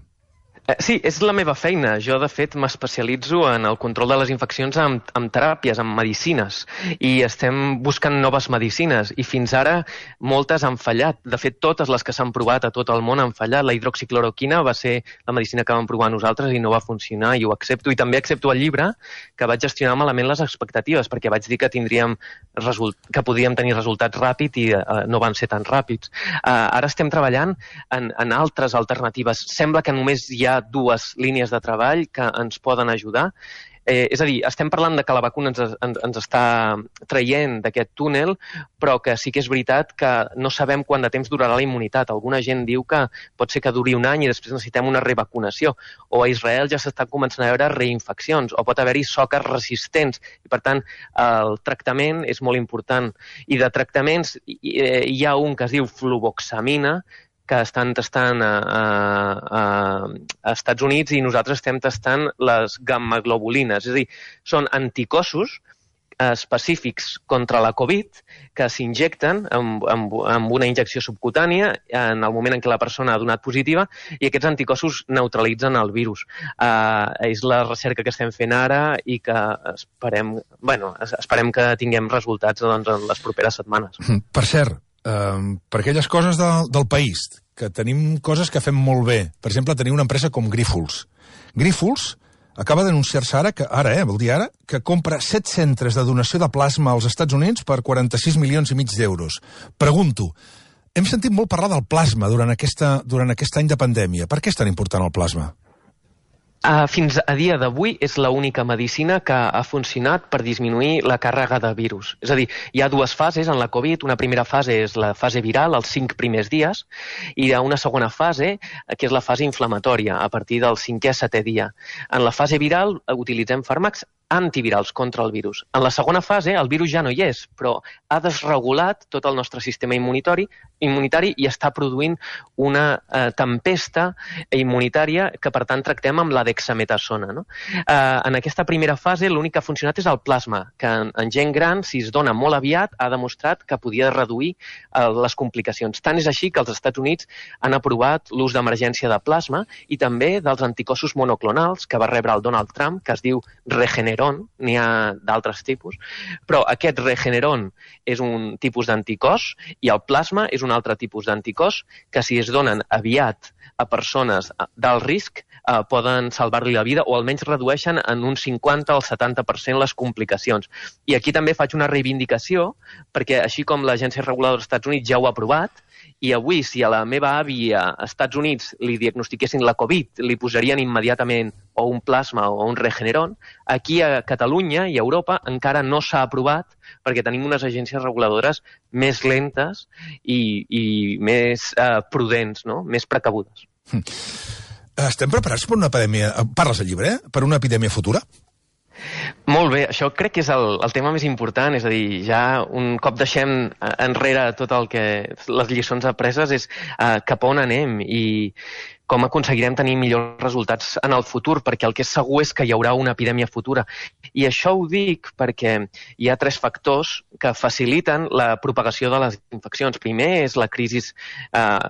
Speaker 2: Sí, és la meva feina. Jo, de fet, m'especialitzo en el control de les infeccions amb teràpies, amb medicines, i estem buscant noves medicines, i fins ara moltes han fallat. De fet, totes les que s'han provat a tot el món han fallat. La hidroxicloroquina va ser la medicina que vam provar nosaltres i no va funcionar, i ho accepto. I també accepto el llibre, que vaig gestionar malament les expectatives, perquè vaig dir que que podíem tenir resultats ràpids i no van ser tan ràpids. Ara estem treballant en altres alternatives. Sembla que només hi ha dues línies de treball que ens poden ajudar. És a dir, estem parlant de que la vacuna ens està traient d'aquest túnel, però que sí que és veritat que no sabem quant de temps durarà la immunitat. Alguna gent diu que pot ser que duri un any i després necessitem una revacunació. O a Israel ja s'estan començant a veure reinfeccions, o pot haver-hi soques resistents. I, per tant, el tractament és molt important. I de tractaments hi ha un que es diu fluvoxamina, que estan testant a Estats Units, i nosaltres estem testant les gammaglobulines. És a dir, són anticossos específics contra la Covid que s'injecten amb una injecció subcutània en el moment en què la persona ha donat positiva, i aquests anticossos neutralitzen el virus. És la recerca que estem fent ara i que esperem que tinguem resultats en les properes setmanes.
Speaker 1: Per cert, per aquelles coses del país, que tenim coses que fem molt bé. Per exemple, tenim una empresa com Grífols. Grífols acaba d'anunciar-se ara, vol dir ara, que compra 7 centres de donació de plasma als Estats Units per 46,5 milions d'euros. Pregunto, hem sentit molt parlar del plasma durant aquest any de pandèmia. Per què és tan important el plasma?
Speaker 2: Fins a dia d'avui és l'única medicina que ha funcionat per disminuir la càrrega de virus. És a dir, hi ha dues fases en la Covid. Una primera fase és la fase viral, els 5 primers dies, i hi ha una segona fase, que és la fase inflamatòria, a partir del 5è a 7è dia. En la fase viral utilitzem fàrmacs antivirals contra el virus. En la segona fase el virus ja no hi és, però ha desregulat tot el nostre sistema immunitari i està produint una tempesta immunitària que, per tant, tractem amb la dexametasona. No? En aquesta primera fase l'únic que ha funcionat és el plasma, que en gent gran, si es dona molt aviat, ha demostrat que podia reduir les complicacions. Tant és així que els Estats Units han aprovat l'ús d'emergència de plasma i també dels anticossos monoclonals que va rebre el Donald Trump, que es diu Regeneron. N'hi ha d'altres tipus, però aquest Regeneron és un tipus d'anticòs i el plasma és un altre tipus d'anticòs que, si es donen aviat a persones d'alt risc, poden salvar-li la vida o almenys redueixen en un 50 al 70% les complicacions. I aquí també faig una reivindicació, perquè així com l'Agència Reguladora dels Estats Units ja ho ha aprovat, i avui, si a la meva àvia als Estats Units li diagnostiquessin la Covid, li posarien immediatament o un plasma o un Regeneron, aquí a Catalunya i a Europa encara no s'ha aprovat perquè tenim unes agències reguladores més lentes i més prudents, no? Més precabudes.
Speaker 1: Estem preparats per una epidèmia, parles al llibre, per una epidèmia futura?
Speaker 2: Molt bé, això crec que és el tema més important, és a dir, ja un cop deixem enrere tot el que les lliçons apreses és cap a on anem i com aconseguirem tenir millors resultats en el futur, perquè el que és segur és que hi haurà una epidèmia futura. I això ho dic perquè hi ha 3 factors que faciliten la propagació de les infeccions. Primer és la crisi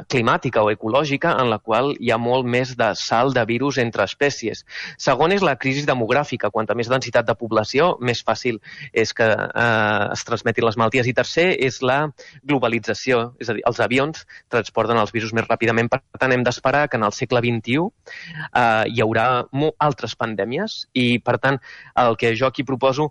Speaker 2: climàtica o ecològica, en la qual hi ha molt més de salt de virus entre espècies. Segon és la crisi demogràfica. Quanta més densitat de població, més fàcil és que es transmetin les malalties. I tercer és la globalització, és a dir, els avions transporten els virus més ràpidament. Per tant, hem d'esperar que en el segle XXI hi haurà altres pandèmies i, per tant, el que jo aquí proposo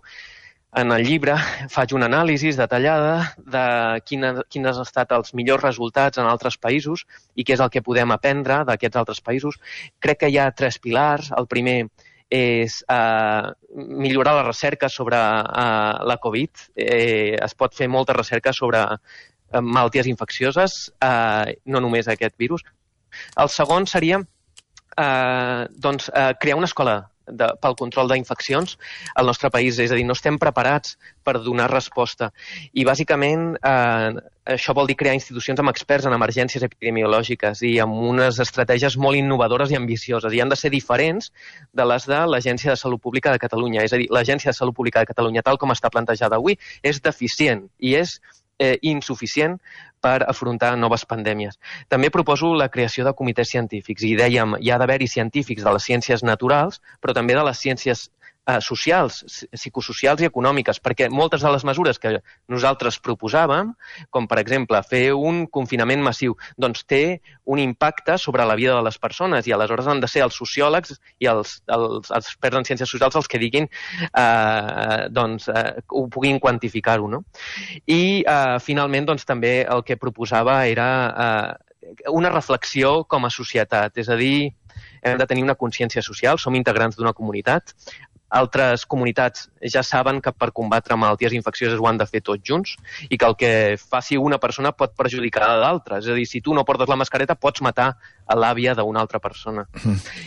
Speaker 2: en el llibre, faig una anàlisi detallada de quins han estat els millors resultats en altres països i què és el que podem aprendre d'aquests altres països. Crec que hi ha 3 pilars. El primer és millorar la recerca sobre la Covid. Es pot fer molta recerca sobre malalties infeccioses, no només aquest virus. El segon seria crear una escola pel control d'infeccions al nostre país. És a dir, no estem preparats per donar resposta. I, bàsicament, això vol dir crear institucions amb experts en emergències epidemiològiques i amb unes estratègies molt innovadores i ambicioses. I han de ser diferents de les de l'Agència de Salut Pública de Catalunya. És a dir, l'Agència de Salut Pública de Catalunya, tal com està plantejada avui, és deficient i és insuficient per afrontar noves pandèmies. També proposo la creació de comitès científics, i dèiem, hi ha d'haver-hi científics de les ciències naturals, però també de les ciències socials, psicosocials i econòmiques, perquè moltes de les mesures que nosaltres proposàvem, com per exemple fer un confinament massiu, doncs té un impacte sobre la vida de les persones, i aleshores han de ser els sociòlegs i els experts en ciències socials els que diguin, ho puguin quantificar-ho, no? I finalment doncs, també el que proposava era una reflexió com a societat, és a dir, hem de tenir una consciència social, som integrants d'una comunitat. Altres comunitats ja saben que per combatre malalties infeccioses ho han de fer tots junts, i que el que faci una persona pot perjudicar a d'altres. És a dir, si tu no portes la mascareta pots matar a l'àvia d'una altra persona.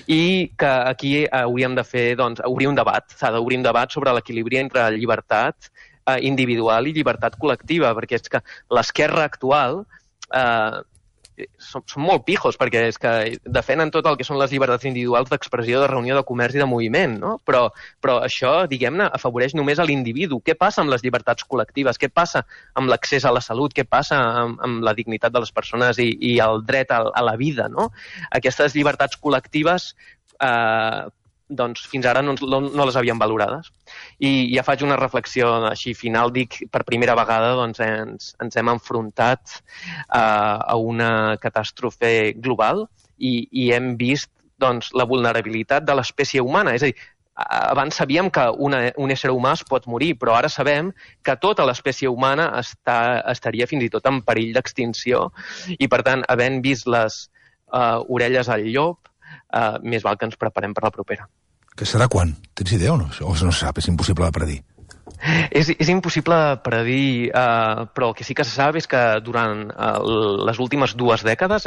Speaker 2: I que aquí hauríem de fer, doncs, obrir un debat. S'ha d'obrir un debat sobre l'equilibri entre llibertat individual i llibertat col·lectiva, perquè és que l'esquerra actual són molt pijos, perquè és que defenen tot el que són les llibertats individuals d'expressió, de reunió, de comerç i de moviment, no? Però això, diguem-ne, afavoreix només a l'individu. Què passa amb les llibertats col·lectives? Què passa amb l'accés a la salut? Què passa amb la dignitat de les persones i el dret a la vida, no? Aquestes llibertats col·lectives doncs fins ara no les havíem valorades. I ja faig una reflexió així final, dic, per primera vegada doncs, ens hem enfrontat a una catàstrofe global i hem vist doncs, la vulnerabilitat de l'espècie humana. És a dir, abans sabíem que un ésser humà es pot morir, però ara sabem que tota l'espècie humana estaria fins i tot en perill d'extinció, i per tant, havent vist les orelles al llop, més val que ens preparem per la propera.
Speaker 1: Que serà quan? Tens idea o no? O no se sap, és impossible de predir?
Speaker 2: És impossible de predir, però el que sí que se sap és que durant les últimes 2 dècades,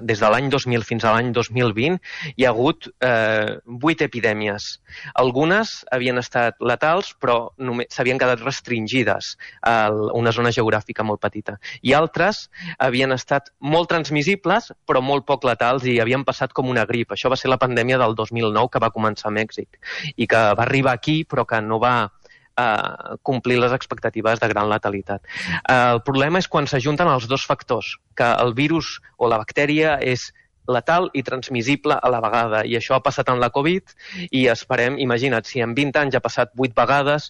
Speaker 2: des de l'any 2000 fins a l'any 2020, hi ha hagut 8 epidèmies. Algunes havien estat letals, però s'havien quedat restringides a una zona geogràfica molt petita. I altres havien estat molt transmissibles, però molt poc letals, i havien passat com una grip. Això va ser la pandèmia del 2009, que va començar a Mèxic, i que va arribar aquí, però que no va complir les expectatives de gran letalitat. El problema és quan s'ajunten els dos factors, que el virus o la bactèria és letal i transmissible a la vegada, i això ha passat en la Covid, i esperem, imagina't, si en 20 anys ha passat 8 vegades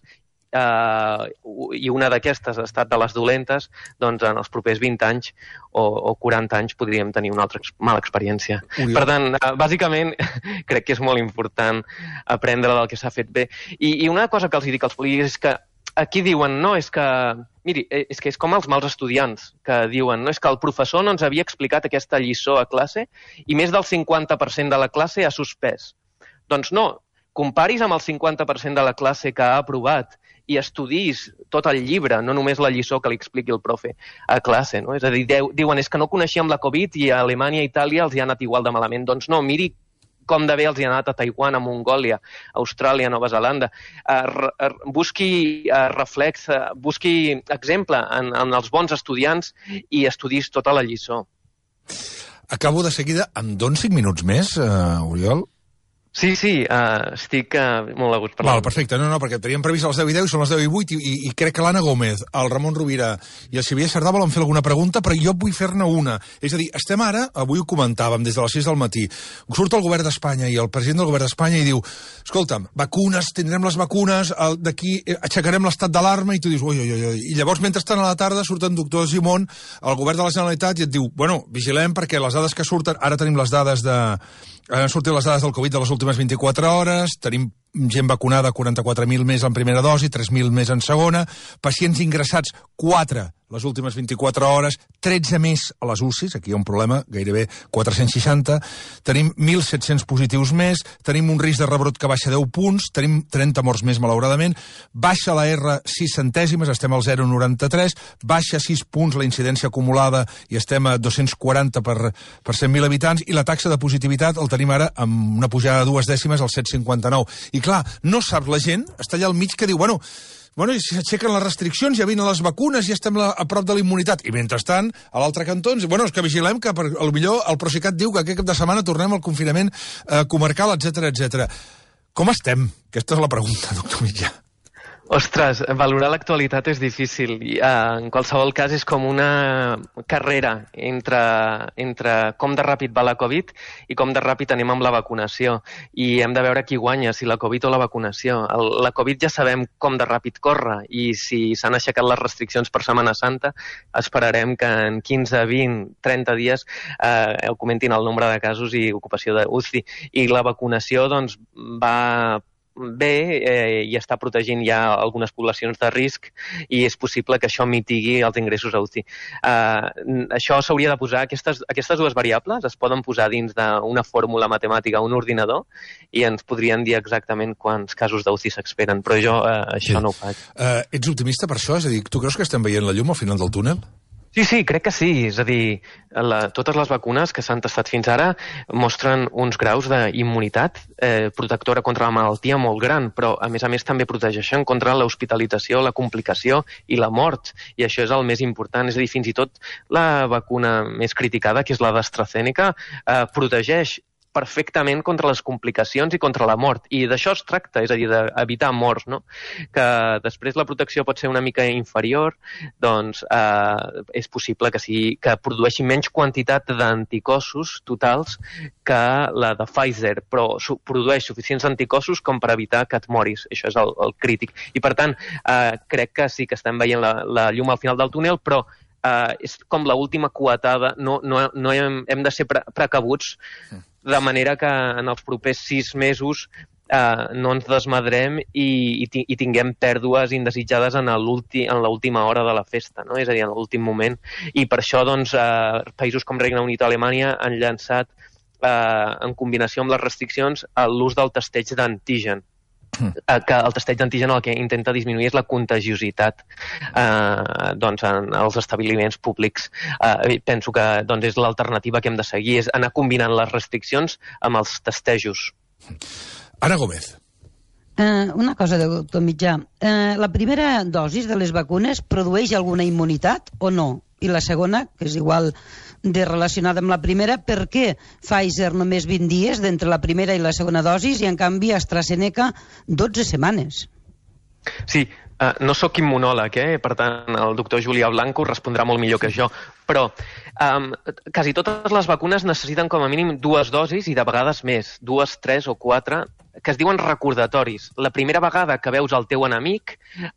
Speaker 2: i una d'aquestes ha estat de les dolentes, doncs en els propers 20 anys o 40 anys podríem tenir una altra mala experiència. Per tant, bàsicament, crec que és molt important aprendre del que s'ha fet bé. I una cosa que els dic als polítics és que aquí diuen, no, és que... Miri, és que és com els mals estudiants, que diuen, no, és que el professor no ens havia explicat aquesta lliçó a classe i més del 50% de la classe ha suspès. Doncs no, comparis amb el 50% de la classe que ha aprovat i estudis tot el llibre, no només la lliçó que li expliqui el profe a classe, no? És a dir, diuen, és que no coneixíem la Covid i a Alemanya i Itàlia els hi ha anat igual de malament. Doncs no, miri com de bé els hi ha anat a Taiwan, a Mongòlia, a Austràlia, a Nova Zelanda. Busqui reflex, busqui exemple en els bons estudiants i estudis tota la lliçó.
Speaker 1: Acabo de seguida, em dones 5 minuts més, Oriol?
Speaker 2: Sí, estic molt a gust parlant.
Speaker 1: Val, perfecte. No, perquè teníem previst a les 10:10 i són les 10:08 i crec que l'Anna Gómez, el Ramon Rovira i el Xavier Sardà volen fer alguna pregunta, però jo vull fer-ne una. És a dir, estem ara, avui ho comentàvem des de les 6 del matí, surt el govern d'Espanya i el president del govern d'Espanya i diu, escolta'm, vacunes, tindrem les vacunes, d'aquí aixecarem l'estat d'alarma, i tu dius, ui. I llavors, mentrestant a la tarda, surt en doctor Simón, el govern de la Generalitat, i et diu, bueno, vigilem perquè les dades que surten, ara tenim les dades han sortit les dades del Covid de les últimes 24 hores, tenim gent vacunada, 44.000 més en primera dosi, 3.000 més en segona, pacients ingressats, 4 les últimes 24 hores, 13 més a les UCIs, aquí hi ha un problema, gairebé 460, tenim 1.700 positius més, tenim un risc de rebrot que baixa 10 punts, tenim 30 morts més, malauradament, baixa la R 6 centèsimes, estem al 0,93, baixa 6 punts la incidència acumulada i estem a 240 per 100.000 habitants, i la taxa de positivitat el tenim ara amb una pujada de 2 dècimes al 7,59. I clar, no saps, la gent està allà al mig que diu, bueno, i si s'aixequen les restriccions, ja vinen les vacunes, ja estem a prop de la immunitat. I mentrestant, a l'altre cantó, és que vigilem que potser el Procicat diu que aquest cap de setmana tornem al confinament comarcal, etc. Com estem? Aquesta és la pregunta, doctor Mitjà.
Speaker 2: Ostres, valorar l'actualitat és difícil. En qualsevol cas, és com una carrera entre com de ràpid va la Covid i com de ràpid anem amb la vacunació. I hem de veure qui guanya, si la Covid o la vacunació. La Covid ja sabem com de ràpid corre i si s'han aixecat les restriccions per Setmana Santa, esperarem que en 15, 20, 30 dies augmentin el nombre de casos i ocupació d'UCI. I la vacunació doncs, va bé i està protegint ja algunes poblacions de risc i és possible que això mitigui els ingressos a UCI. Això s'hauria de posar, aquestes dues variables es poden posar dins d'una fórmula matemàtica a un ordinador i ens podrien dir exactament quants casos d'UCI s'esperen, però jo això no ho faig.
Speaker 1: Ets optimista per això? És a dir, tu creus que estem veient la llum al final del túnel?
Speaker 2: Sí, crec que sí. És a dir, totes les vacunes que s'han testat fins ara mostren uns graus d'immunitat protectora contra la malaltia molt gran, però a més també protegeixen contra l'hospitalització, la complicació i la mort. I això és el més important. És a dir, fins i tot la vacuna més criticada, que és la d'AstraZeneca, protegeix perfectament contra les complicacions i contra la mort. I d'això es tracta, és a dir, d'evitar morts, no? Que després la protecció pot ser una mica inferior, doncs és possible que produeixi menys quantitat d'anticossos totals que la de Pfizer, però produeix suficients anticossos com per evitar que et moris. Això és el crític. I per tant, crec que sí que estem veient la llum al final del túnel, però és com l'última coetada, no hem de ser precabuts, de manera que en els propers 6 mesos no ens desmadrem i tinguem pèrdues indesitjades en l'última hora de la festa, no? És a dir, en l'últim moment. I per això doncs, països com Regne Unit o Alemanya han llançat, en combinació amb les restriccions, l'ús del testeig d'antigen. Que el testeig d'antigen el que intenta disminuir és la contagiositat doncs, en els establiments públics. Penso que doncs, és l'alternativa que hem de seguir, és anar combinant les restriccions amb els testejos.
Speaker 1: Ana Gómez.
Speaker 3: Una cosa, doctor Mitjà. La primera dosi de les vacunes produeix alguna immunitat o no? I la segona, que és igual de relacionada amb la primera, per què Pfizer només 20 dies d'entre la primera i la segona dosis i en canvi AstraZeneca 12 setmanes?
Speaker 2: Sí, no sóc immunòleg, per tant el doctor Julià Blanco respondrà molt millor que jo, però quasi totes les vacunes necessiten com a mínim 2 dosis i de vegades més, 2, 3 o 4, que es diuen recordatoris. La primera vegada que veus el teu enemic,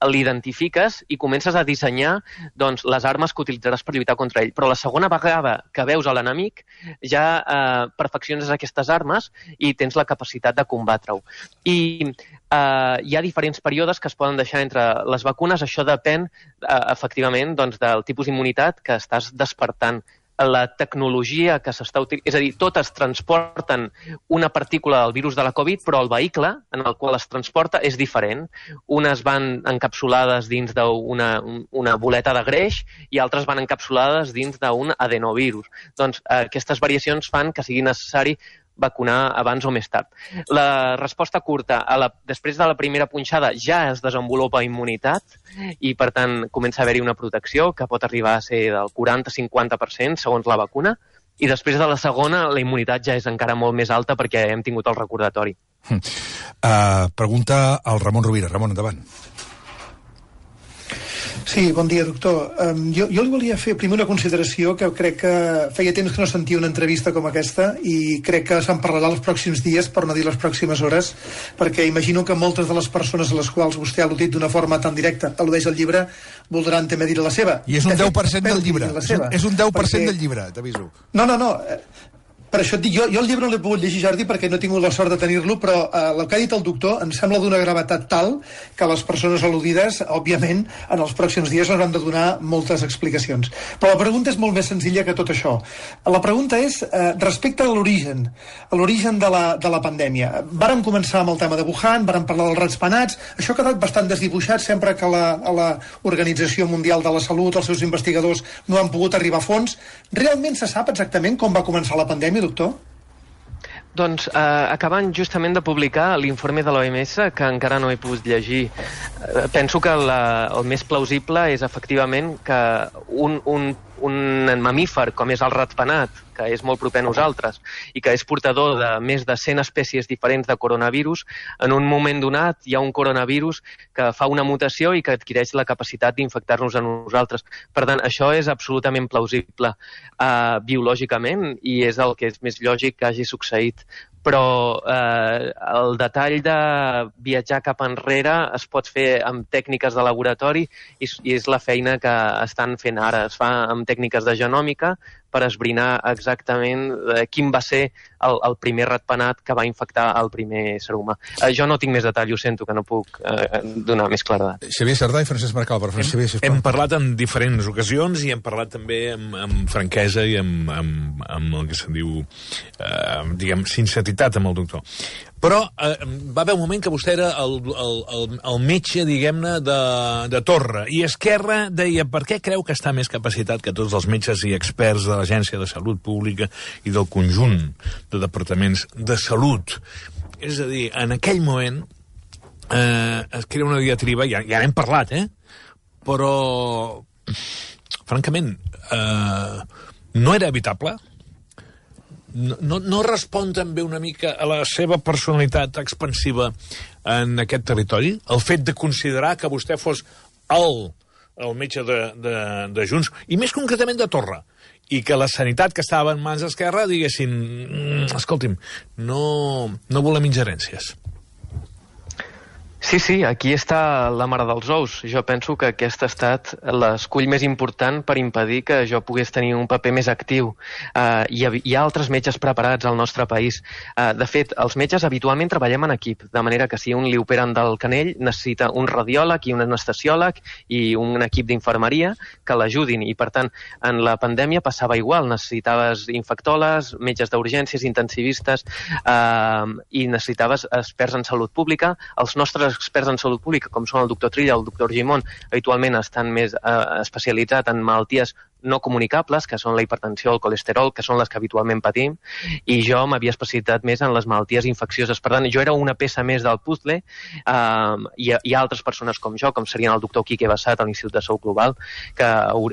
Speaker 2: l'identifiques i comences a dissenyar doncs, les armes que utilitzaràs per lluitar contra ell. Però la segona vegada que veus a l'enemic ja perfecciones aquestes armes i tens la capacitat de combatre-ho. I hi ha diferents períodes que es poden deixar entre les vacunes. Això depèn, efectivament, doncs, del tipus d'immunitat que estàs despertant. La tecnologia que s'està utilitzant, és a dir, totes transporten una partícula del virus de la Covid, però el vehicle en el qual es transporta és diferent. Unes van encapsulades dins d'una boleta de greix i altres van encapsulades dins d'un adenovirus. Doncs aquestes variacions fan que sigui necessari vacunar abans o més tard. La resposta curta, després de la primera punxada ja es desenvolupa immunitat i per tant comença a haver-hi una protecció que pot arribar a ser del 40-50% segons la vacuna i després de la segona la immunitat ja és encara molt més alta perquè hem tingut el recordatori.
Speaker 1: Pregunta al Ramon Rovira. Ramon, endavant.
Speaker 4: Sí, bon dia, doctor. Jo li volia fer primer una consideració que crec que feia temps que no sentia una entrevista com aquesta i crec que se'n parlarà els pròxims dies, per no dir les pròximes hores, perquè imagino que moltes de les persones a les quals vostè ha al·ludit d'una forma tan directa, al·ludeix al llibre, voldran també dir la seva.
Speaker 1: I és un 10% del llibre. És un 10% del llibre, t'aviso.
Speaker 4: No. Per això et dic, jo el llibre no l'he pogut llegir, Jordi, perquè no he tingut la sort de tenir-lo, però el que ha dit el doctor em sembla d'una gravetat tal que les persones al·ludides, òbviament, en els pròxims dies ens han de donar moltes explicacions. Però la pregunta és molt més senzilla que tot això. La pregunta és respecte a l'origen de la pandèmia. Vàrem començar amb el tema de Wuhan, vàrem parlar dels ratpenats, això ha quedat bastant desdibuixat sempre que la Organització Mundial de la Salut, els seus investigadors, no han pogut arribar a fons. Realment se sap exactament com va començar la pandèmia, doctor?
Speaker 2: Doncs acaben justament de publicar l'informe de l'OMS, que encara no he pogut llegir. Penso que el més plausible és efectivament que un mamífer com és el ratpenat que és molt proper a nosaltres i que és portador de més de 100 espècies diferents de coronavirus, en un moment donat hi ha un coronavirus que fa una mutació i que adquireix la capacitat d'infectar-nos a nosaltres. Per tant, això és absolutament plausible biològicament i és el que és més lògic que hagi succeït. Però el detall de viatjar cap enrere es pot fer amb tècniques de laboratori i és la feina que estan fent ara. Es fa amb tècniques de genòmica per esbrinar exactament quin va ser el primer ratpenat que va infectar el primer ser humà. Jo no tinc més detall, ho sento, que no puc donar més claredat.
Speaker 1: Xavier Sardà i Francesc Marcal.
Speaker 5: Hem parlat en diferents ocasions i hem parlat també amb franquesa i amb el que se'n diu, diguem, sinceritat amb el doctor. Però va haver un moment que vostè era el metge, diguem-ne, de torre. I Esquerra deia, per què creu que està més capacitat que tots els metges i experts de l'Agència de Salut Pública i del conjunt de departaments de salut? És a dir, en aquell moment es crea una diatriba, ja n'hem parlat, però, francament, no era evitable? No respon també una mica a la seva personalitat expansiva en aquest territori? El fet de considerar que vostè fos el metge de Junts, i més concretament de Torra, i que la sanitat que estava en mans d'Esquerra diguessin, escolti'm, no volem ingerències.
Speaker 2: Sí, aquí està la mare dels ous. Jo penso que aquest ha estat l'escull més important per impedir que jo pogués tenir un paper més actiu. Hi ha altres metges preparats al nostre país. De fet, els metges habitualment treballem en equip, de manera que si un li operen del canell necessita un radiòleg i un anestesiòleg i un equip d'infermeria que l'ajudin. I, per tant, en la pandèmia passava igual. Necessitaves infectòlegs, metges d'urgències, intensivistes i necessitaves experts en salut pública. Els nostres experts en salut pública, com són el doctor Trilla o el doctor Gimón, habitualment estan més especialitzats en malalties no comunicables, que són la hipertensió o el colesterol, que són les que habitualment patim, i jo m'havia especialitzat més en les malalties infeccioses. Per tant, jo era una peça més del puzzle, i hi ha altres persones com jo, com serien el doctor Quique Bassat a l'Institut de Salut Global, que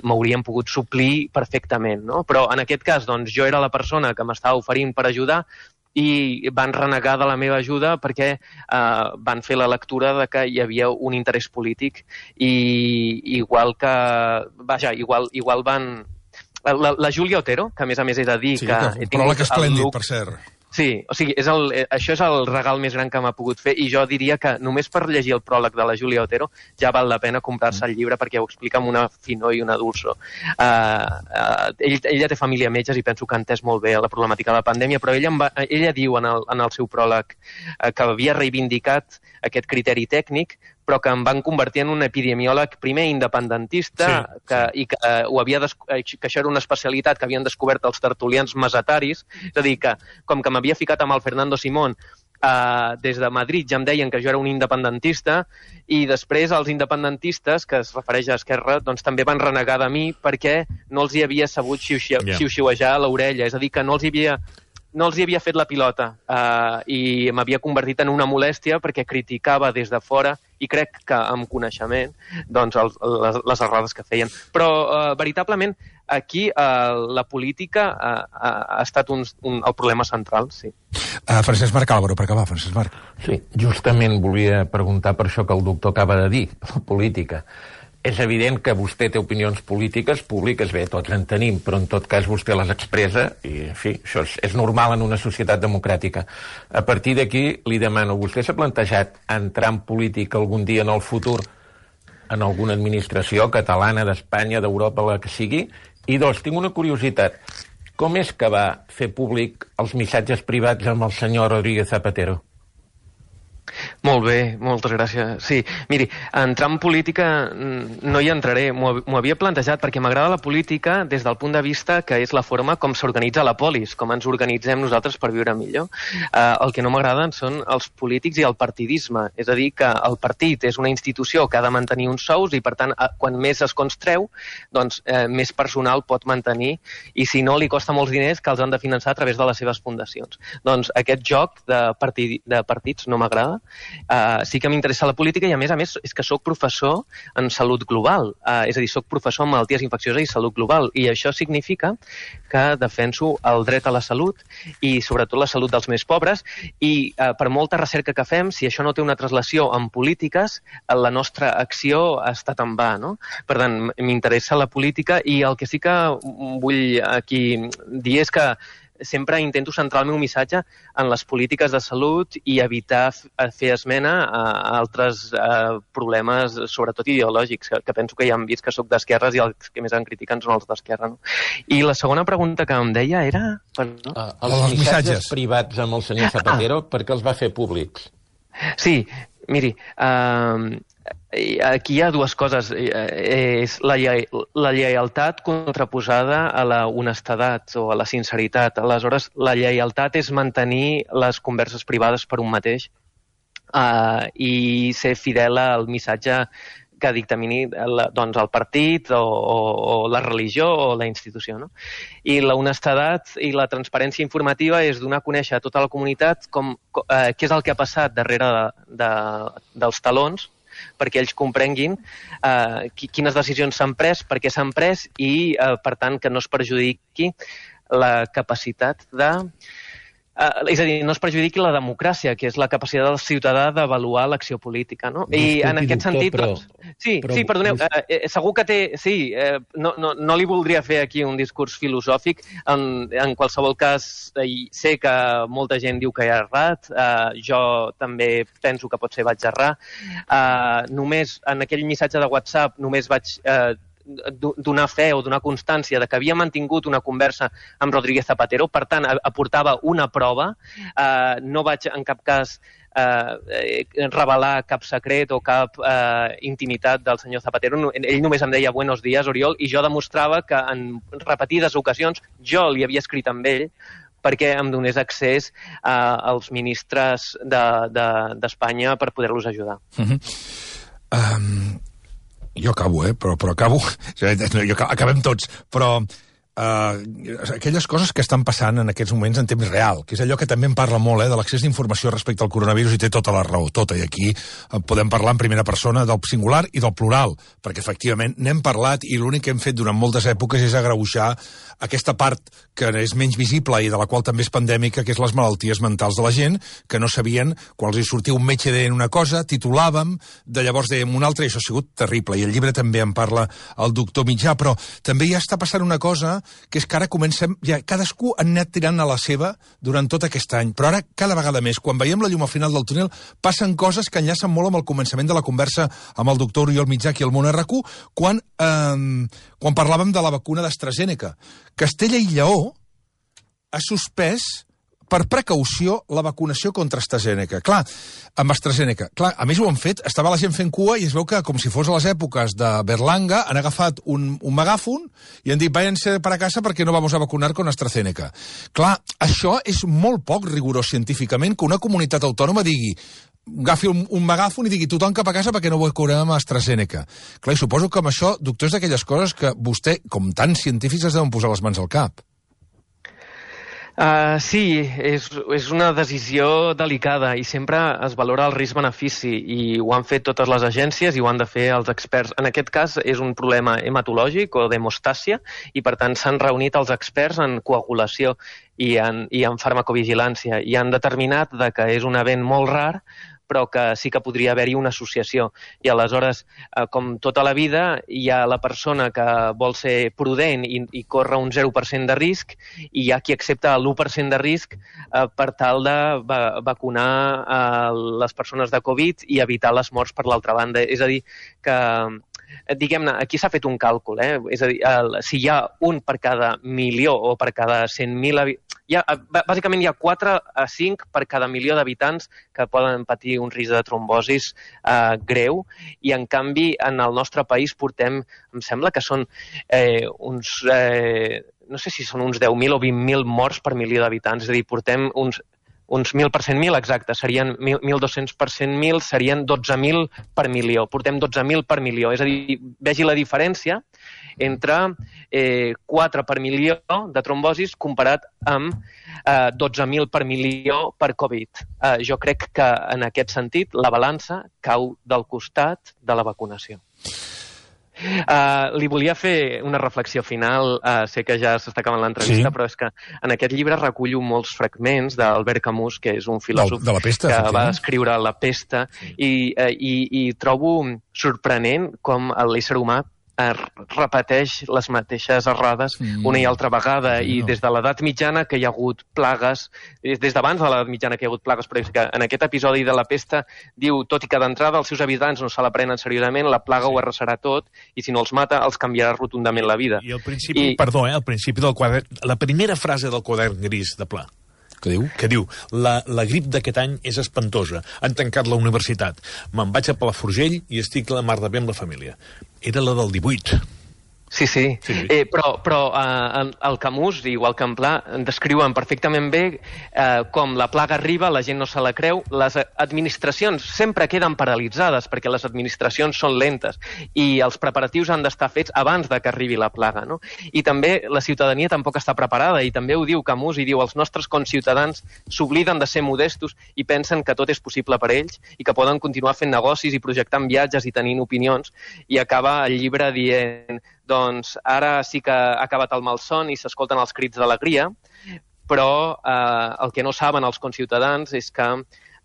Speaker 2: m'haurien pogut suplir perfectament, no? Però en aquest cas, doncs, jo era la persona que m'estava oferint per ajudar, i van renegar de la meva ajuda perquè van fer la lectura de que hi havia un interès polític i igual van... La Júlia Otero, que a més he de dir que...
Speaker 1: Sí, però que esplèndid, per cert.
Speaker 2: Sí, o sigui, això és el regal més gran que m'ha pogut fer i jo diria que només per llegir el pròleg de la Júlia Otero ja val la pena comprar-se el llibre perquè ho explica amb una finor i una dulçor. Ella té família metges i penso que ha entès molt bé la problemàtica de la pandèmia, però ella diu en el seu pròleg que havia reivindicat aquest criteri tècnic, però que em van convertir en un epidemiòleg primer independentista i que això era una especialitat que havien descobert els tertulians mesetaris, és a dir, que com que m'havia ficat amb el Fernando Simón des de Madrid ja em deien que jo era un independentista i després els independentistes, que es refereix a Esquerra, doncs també van renegar de mi perquè no els hi havia sabut xiu-xiuejar a l'orella, és a dir, que no els hi havia fet la pilota i m'havia convertit en una molèstia perquè criticava des de fora i crec que amb coneixement doncs, les errades que feien. Però veritablement aquí la política ha estat el problema central, sí.
Speaker 1: Francesc Marc Álvaro, per acabar, Francesc Marc.
Speaker 6: Sí, justament volia preguntar per això que el doctor acaba de dir, la política. És evident que vostè té opinions polítiques públiques, bé, tots en tenim, però en tot cas vostè les expressa i, en fi, això és normal en una societat democràtica. A partir d'aquí, li demano, vostè s'ha plantejat entrar en política algun dia en el futur en alguna administració catalana, d'Espanya, d'Europa, la que sigui? I dos, tinc una curiositat. Com és que va fer públic els missatges privats amb el senyor Rodríguez Zapatero?
Speaker 2: Molt bé, moltes gràcies. Sí, miri, entrar en política no hi entraré, m'ho havia plantejat perquè m'agrada la política des del punt de vista que és la forma com s'organitza la polis, com ens organitzem nosaltres per viure millor. El que no m'agraden són els polítics i el partidisme, és a dir, que el partit és una institució que ha de mantenir uns sous i, per tant, quan més escons treu, doncs més personal pot mantenir i, si no, li costa molts diners que els han de finançar a través de les seves fundacions. Doncs aquest joc de partits no m'agrada sí que m'interessa la política i, a més, és que sóc professor en salut global. És a dir, sóc professor en malalties infeccioses i salut global. I això significa que defenso el dret a la salut i, sobretot, la salut dels més pobres. I per molta recerca que fem, si això no té una translació en polítiques, la nostra acció ha estat en va, no? Per tant, m'interessa la política i el que sí que vull aquí dir és que sempre intento centrar el meu missatge en les polítiques de salut i evitar fer esmena a altres problemes, sobretot ideològics, que penso que ja han vist que sóc d'esquerres i els que més em critiquen són els d'esquerra. No? I la segona pregunta que em deia era...
Speaker 6: Els missatges privats amb el senyor Zapatero, per què els va fer públics?
Speaker 2: Sí, miri, aquí hi ha dues coses. És la lleialtat contraposada a la honestedat o a la sinceritat. Aleshores, la lleialtat és mantenir les converses privades per un mateix i ser fidel al missatge que dictamini doncs, el partit o la religió o la institució. No? I la honestedat i la transparència informativa és donar a conèixer a tota la comunitat què és el que ha passat darrere dels talons perquè ells comprenguin quines decisions s'han pres, per què s'han pres i, per tant, que no es perjudiqui la capacitat de... és a dir, no es perjudiqui la democràcia, que és la capacitat del ciutadà d'avaluar l'acció política, no? I en aquest sentit, doncs... Sí, perdoneu, segur que té... Sí, no li voldria fer aquí un discurs filosòfic. En qualsevol cas, sé que molta gent diu que he errat, jo també penso que potser vaig errar. Només, en aquell missatge de WhatsApp, només vaig... donar fe o donar constància de que havia mantingut una conversa amb Rodríguez Zapatero, per tant, aportava una prova. No vaig en cap cas revelar cap secret o cap intimitat del senyor Zapatero. Ell només em deia buenos días, Oriol, i jo demostrava que en repetides ocasions jo li havia escrit amb ell perquè em donés accés als ministres d'Espanya per poder-los ajudar.
Speaker 1: Jo acabo, però acabo. Acabem tots, però aquelles coses que estan passant en aquests moments en temps real, que és allò que també en parla molt, de l'accés d'informació respecte al coronavirus, i té tota la raó, tota, i aquí podem parlar en primera persona del singular i del plural, perquè efectivament n'hem parlat i l'únic que hem fet durant moltes èpoques és agreujar aquesta part que és menys visible i de la qual també és pandèmica, que és les malalties mentals de la gent, que no sabien, quan els hi sortia un metge deien una cosa, titulàvem, de llavors dèiem una altra, i això ha sigut terrible, i el llibre també en parla el doctor Mitjà, però també ja està passant una cosa, que és que ara comencem, ja cadascú ha anat tirant a la seva durant tot aquest any, però ara cada vegada més, quan veiem la llum al final del túnel, passen coses que enllacen molt amb el començament de la conversa amb el doctor Oriol Mitjà aquí al Món RQ, quan parlàvem de la vacuna d'AstraZeneca. Castella i Lleó ha suspès per precaució la vacunació contra AstraZeneca. Clar, amb AstraZeneca. Clar, a més ho han fet, estava la gent fent cua i es veu que, com si fos a les èpoques de Berlanga, han agafat un megàfon i han dit, váyanse para casa perquè no vamos a vacunar con AstraZeneca. Clar, això és molt poc rigorós científicament, que una comunitat autònoma digui, agafi un megàfon i digui tothom cap a casa perquè no vacunarem amb AstraZeneca. Clar, i suposo que amb això, doctor, és d'aquelles coses que vostè, com tants científics, es deuen posar les mans al cap.
Speaker 2: Sí, és una decisió delicada i sempre es valora el risc-benefici i ho han fet totes les agències i ho han de fer els experts. En aquest cas és un problema hematològic o d'hemostàsia i per tant s'han reunit els experts en coagulació i en farmacovigilància i han determinat que és un event molt rar però que sí que podria haver-hi una associació. I aleshores, com tota la vida, hi ha la persona que vol ser prudent i corre un 0% de risc i hi ha qui accepta l'1% de risc per tal de vacunar les persones de Covid i evitar les morts per l'altra banda. És a dir, que diguem-ne, aquí s'ha fet un càlcul, és a dir, si hi ha un per cada milió o per cada 100.000 habitants, bàsicament hi ha 4 a 5 per cada milió d'habitants que poden patir un risc de trombosis greu i en canvi en el nostre país portem, em sembla que són no sé si són uns 10.000 o 20.000 morts per milió d'habitants, és a dir, portem uns uns 1.000 per 100.000, exacte, serien 1.200 per 100.000, serien 12.000 per milió. Portem 12.000 per milió. És a dir, vegi la diferència entre 4 per milió de trombosis comparat amb 12.000 per milió per Covid. Jo crec que, en aquest sentit, la balança cau del costat de la vacunació. Li volia fer una reflexió final, sé que ja s'està acabant l'entrevista, però és que en aquest llibre recullo molts fragments d'Albert Camus, que és un filòsof
Speaker 1: de la pesta,
Speaker 2: que va escriure La pesta, i trobo sorprenent com l'ésser humà repeteix les mateixes errades una i altra vegada, i des de l'edat mitjana que hi ha hagut plagues, des d'abans de l'edat mitjana que hi ha hagut plagues, però és que en aquest episodi de La pesta diu, tot i que d'entrada els seus habitants no se la prenen seriosament, la plaga ho arrasarà tot, i si no els mata, els canviarà rotundament la vida.
Speaker 5: I al principi, al principi del quadern, la primera frase del quadern gris de Pla, que diu, la grip d'aquest any és espantosa, han tancat la universitat, me'n vaig a Palafrugell i estic la mar de bé amb la família. Era la del 18.
Speaker 2: Sí. Però el Camus, igual que en Pla, descriuen perfectament bé com la plaga arriba, la gent no se la creu, les administracions sempre queden paralitzades perquè les administracions són lentes i els preparatius han d'estar fets abans de que arribi la plaga, no? I també la ciutadania tampoc està preparada, i també ho diu Camus, i diu els nostres conciutadans s'obliden de ser modestos i pensen que tot és possible per ells i que poden continuar fent negocis i projectant viatges i tenint opinions, i acaba el llibre dient, doncs ara sí que ha acabat el malson i s'escolten els crits d'alegria, però el que no saben els conciutadans és que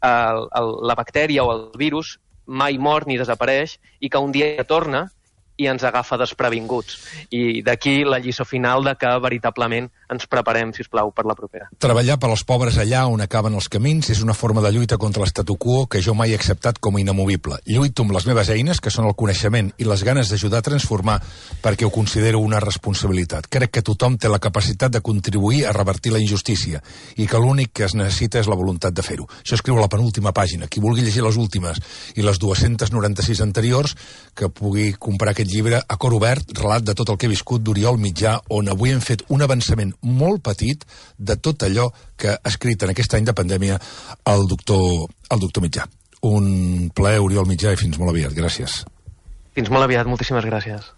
Speaker 2: la bactèria o el virus mai mor ni desapareix i que un dia torna i ens agafa desprevinguts. I d'aquí la lliçó final de que veritablement ens preparem, si us plau, per la propera.
Speaker 1: Treballar per als pobres allà on acaben els camins és una forma de lluita contra l'statu quo que jo mai he acceptat com a inamovible. Lluito amb les meves eines, que són el coneixement i les ganes d'ajudar a transformar, perquè ho considero una responsabilitat. Crec que tothom té la capacitat de contribuir a revertir la injustícia i que l'únic que es necessita és la voluntat de fer-ho. Això escriu a la penúltima pàgina. Qui vulgui llegir les últimes i les 296 anteriors, que pugui comprar aquest llibre a cor obert, relat de tot el que he viscut d'Oriol Mitjà, on avui hem fet un avançament molt petit de tot allò que ha escrit en aquest any de pandèmia el doctor Mitjà. Un plaer, Oriol Mitjà, i fins molt aviat. Gràcies.
Speaker 2: Fins molt aviat, moltíssimes gràcies.